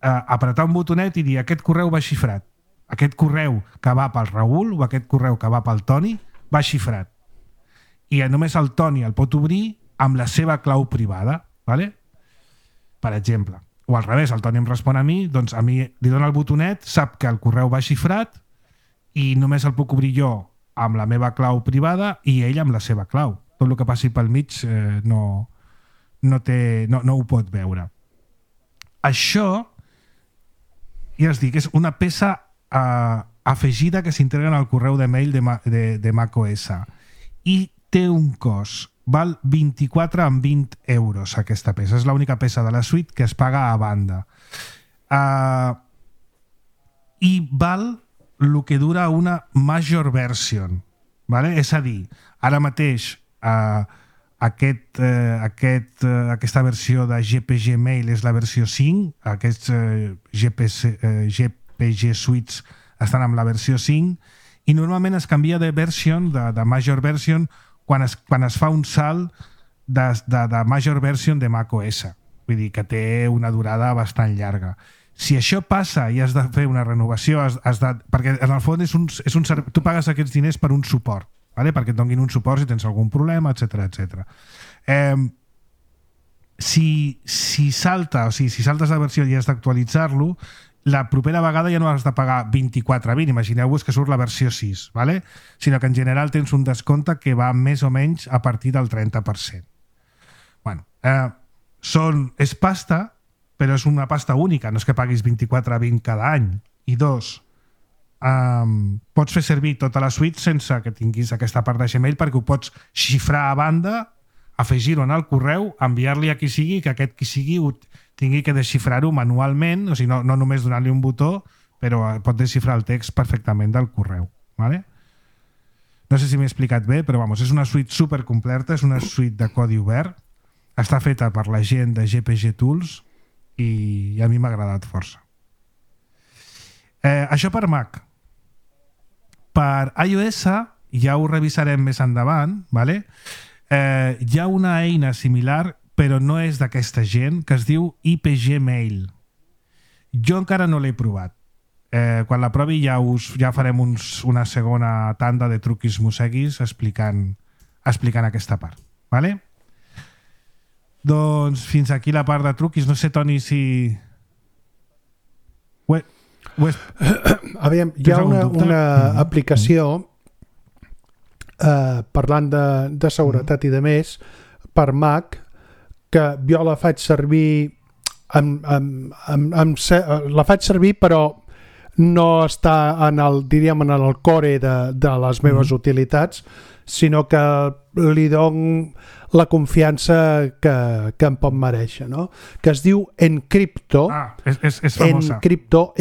apretar un botonet i dir aquest correu va xifrat, aquest correu que va pel Raül o aquest correu que va pel Toni va xifrat, i només el Toni el pot obrir amb la seva clau privada, ¿vale? Per exemple. O al revés, el Toni em respon a mi, doncs a mi li dona el botonet, sap que el correu va xifrat i només el puc obrir jo amb la meva clau privada i ell amb la seva clau. Tot el que passi pel mig no ho pot veure. Això, ja us dic, és una peça afegida que s'integra en el correu de mail de macOS i té un cost. Val 24 amb 20 euros aquesta peça. És l'única peça de la suite que es paga a banda. I val el que dura una major version. ¿Vale? És a dir, ara mateix aquesta versió de GPG Mail és la versió 5, aquests GPG Suites estan amb la versió 5 i normalment es canvia de version, de major version, quan es fa un salt de major version de macOS. Vull dir que té una durada bastant llarga. Si això passa i has de fer una renovació, perquè en el fons tu pagues aquests diners per un suport, ¿vale? Perquè et donin un suport si tens algun problema, etc. Si saltes la versió i has d'actualitzar-lo, la propera vegada ja no has de pagar 24,20, imagineu-vos que surt la versió 6, ¿vale? Sinó que en general tens un descompte que va més o menys a partir del 30%. Bueno, és pasta, però és una pasta única, no és que paguis 24,20 cada any. I dos, pots fer servir tota la suite sense que tinguis aquesta part de Gmail perquè ho pots xifrar a banda, afegir-ho en el correu, enviar-li a qui sigui, que aquest qui sigui tingui que desxifrar-ho manualment, o sigui, no només donar-li un botó, però pot desxifrar el text perfectament del correu. ¿Vale? No sé si m'he explicat bé, però vamos, és una suite supercompleta, és una suite de codi obert, està feta per la gent de GPG Tools i a mi m'ha agradat força. Això per Mac. Per iOS ja ho revisarem més endavant, ¿vale? Hi ha una eina similar però no és d'aquesta gent, que es diu IPG Mail. Jo encara no l'he provat. Quan la provi ja farem una segona tanda de truquis mosseguis explicant aquesta part. ¿Vale? Doncs fins aquí la part de truquis. No sé, Toni, si... Aviam, hi ha una aplicació parlant de seguretat i de més per Mac que jo la faig servir la faig servir però no està en el core de les meves utilitats, sinó que li dono la confiança que em pot mereixer, no? Que es diu Encrypto. És famosa. Encrypto,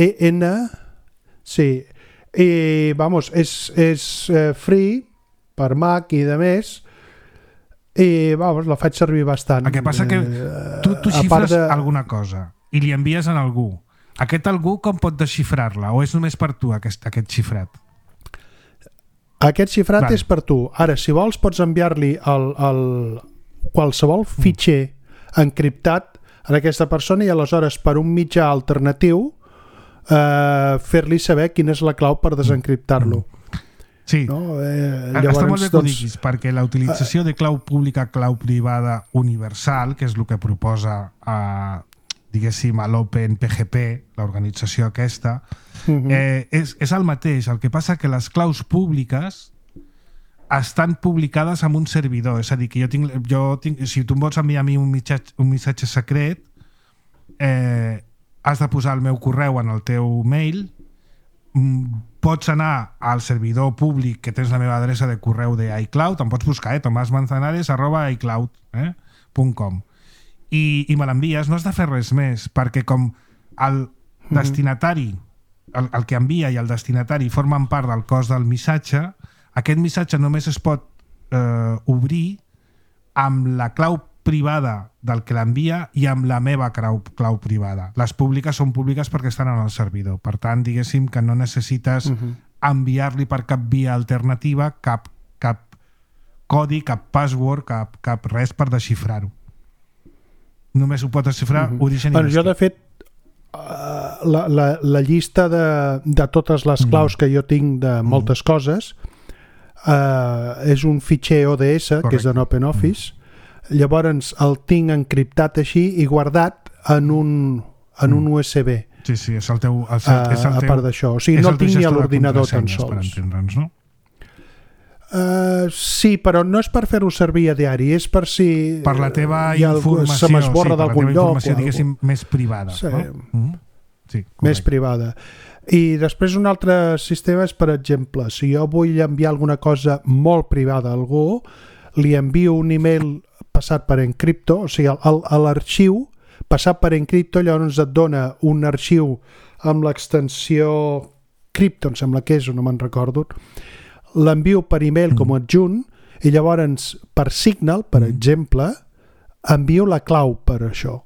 sí. I vamos, és free per Mac i de més, i vamos, la faig servir bastant. El que passa que tu xifres alguna cosa i li envies a algú. Aquest algú com pot desxifrar-la? O és només per tu aquest xifrat? Aquest xifrat és per tu. Ara, si vols, pots enviar-li qualsevol fitxer encriptat a aquesta persona i aleshores per un mitjà alternatiu fer-li saber quina és la clau per desencriptar-lo. Sí, no? Està molt bé que ho diguis, perquè la utilització de clau pública, clau privada universal, que és el que proposa diguéssim a l'OpenPGP, l'organització aquesta, és el mateix. El que passa que les claus públiques estan publicades en un servidor, és a dir, que jo tinc, si tu em vols enviar a mi un missatge secret, has de posar el meu correu en el teu mail, pots anar al servidor públic que tens la meva adreça de correu de iCloud, em pots buscar, tomasmanzanares@icloud.com i me l'envies, no has de fer res més, perquè com el destinatari, el que envia i el destinatari formen part del cos del missatge, aquest missatge només es pot obrir amb la clau privada del que l'envia i amb la meva clau privada. Les públiques són públiques perquè estan en el servidor. Per tant, diguéssim que no necessites enviar-li per cap via alternativa cap codi, cap password, cap res per desxifrar-ho. Només ho pot desxifrar origen i destí. Jo, de fet, la llista de totes les claus que jo tinc de moltes coses és un fitxer ODS, que és en OpenOffice. Llavors el tinc encriptat així i guardat en un USB. Sí, és el teu... a part d'això. O sigui, no el tinc ni a l'ordinador tan sols. Per entendre'ns, no? Sí, però no és per fer-ho servir a diari, és per si... Per la teva informació, se m'esborra d'algun lloc. Per la teva informació, diguéssim, més privada. Sí, sí, més privada. I després un altre sistema és, per exemple, si jo vull enviar alguna cosa molt privada a algú, li envio un email passat per Encripto, o sigui, a l'arxiu passat per Encripto, llavors et dona un arxiu amb l'extensió Crypto, em sembla que és, o no me'n recordo, l'envio per email com a adjunt i llavors per Signal, per exemple, envio la clau per això.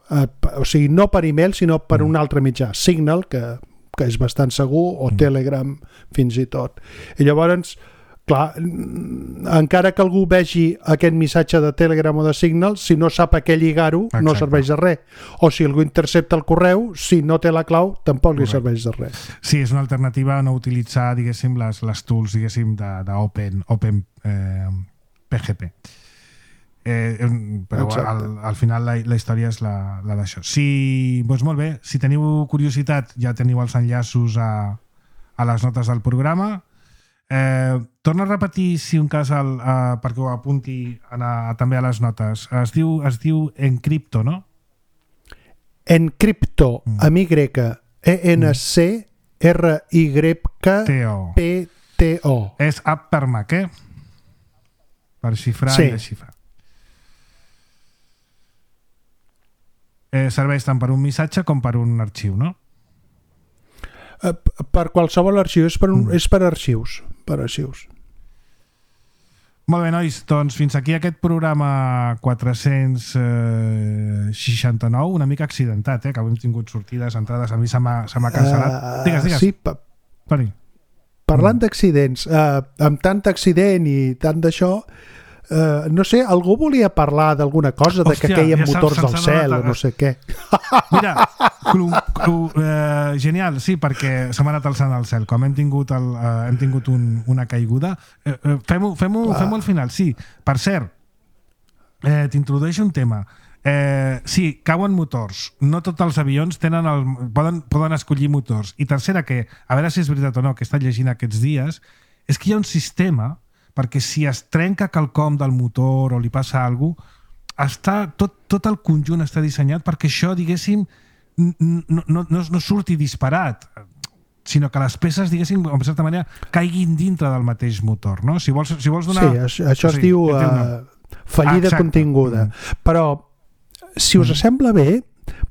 O sigui, no per email, sinó per un altre mitjà, Signal, que és bastant segur, o Telegram fins i tot. I llavors, clar, encara que algú vegi aquest missatge de Telegram o de Signal, si no sap a què lligar-ho, no serveix de res. O si algú intercepta el correu, si no té la clau, tampoc li serveix de res. Sí, és una alternativa a no utilitzar, diguéssim, les tools, diguéssim, d'Open PGP. Però al final la història és la d'això. Doncs molt bé, si teniu curiositat ja teniu els enllaços a les notes del programa. Torna a repetir, si un cas, perquè ho apunti també a les notes. Es diu Encripto, no? Encripto, amb Y, ENCRYPTO. És app per Mac, per xifrar i desxifrar. Serveix tant per un missatge com per un arxiu, no? Per qualsevol arxiu, és per arxius. Per arxius. Molt bé, nois, doncs fins aquí aquest programa 469, una mica accidentat, que hem tingut sortides, entrades, a mi se m'ha cancel·lat. Digues. Sí, Toni. Parlant d'accidents, amb tant accident i tant d'això, no sé, algú volia parlar d'alguna cosa, de que queien motors del cel o no sé què. Mira, genial, sí, perquè se m'ha anat alçant al cel. Com hem tingut una caiguda, fem-ho al final, sí. Per cert, t'introdueixo un tema. Sí, cauen motors. No tots els avions poden escollir motors. I tercera, que a veure si és veritat o no, que he estat llegint aquests dies, és que hi ha un sistema perquè si es trenca quelcom del motor o li passa alguna cosa, tot el conjunt està dissenyat perquè això, diguéssim, no surti disparat, sinó que les peces, diguéssim, en certa manera, caiguin dintre del mateix motor, no? Si vols donar... Sí, això es diu fallida continguda. Però, si us sembla bé,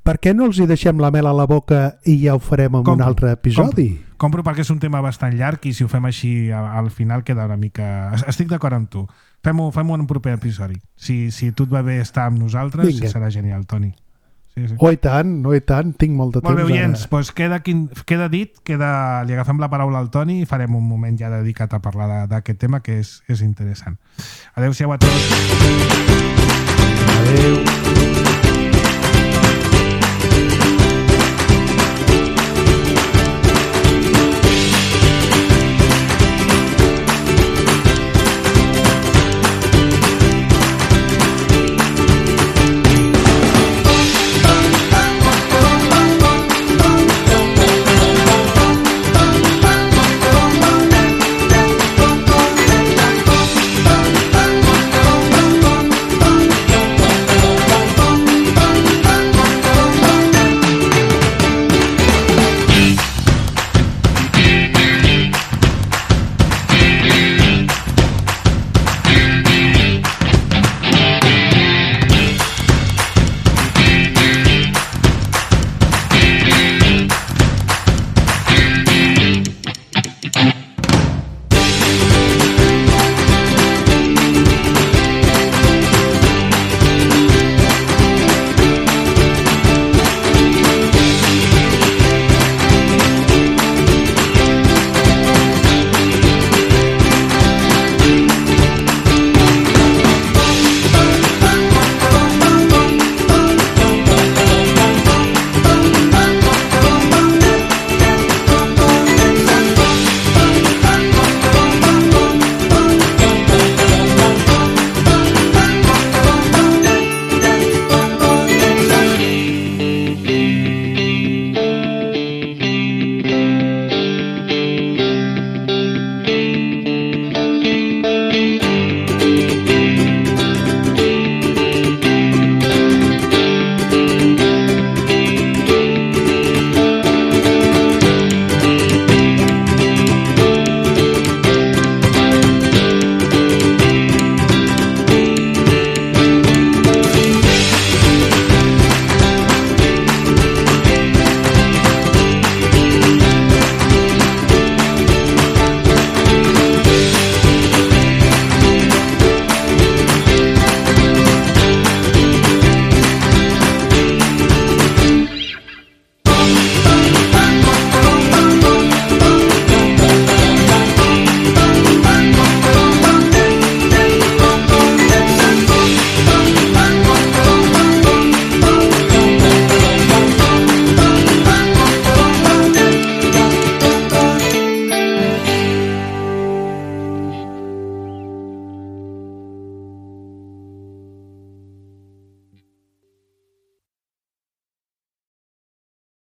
per què no els hi deixem la mel a la boca i ja ho farem en un altre episodi? Compro perquè és un tema bastant llarg i si ho fem així al final queda una mica... Estic d'acord amb tu. Fem-ho en un proper episodi. Si tu et va bé estar amb nosaltres, serà genial, Toni. Sí. Oh, i tant, tinc molt de temps. Molt bé, oients, doncs queda dit, li agafem la paraula al Toni i farem un moment ja dedicat a parlar d'aquest tema que és interessant. Adéu-siau a tots. Adéu.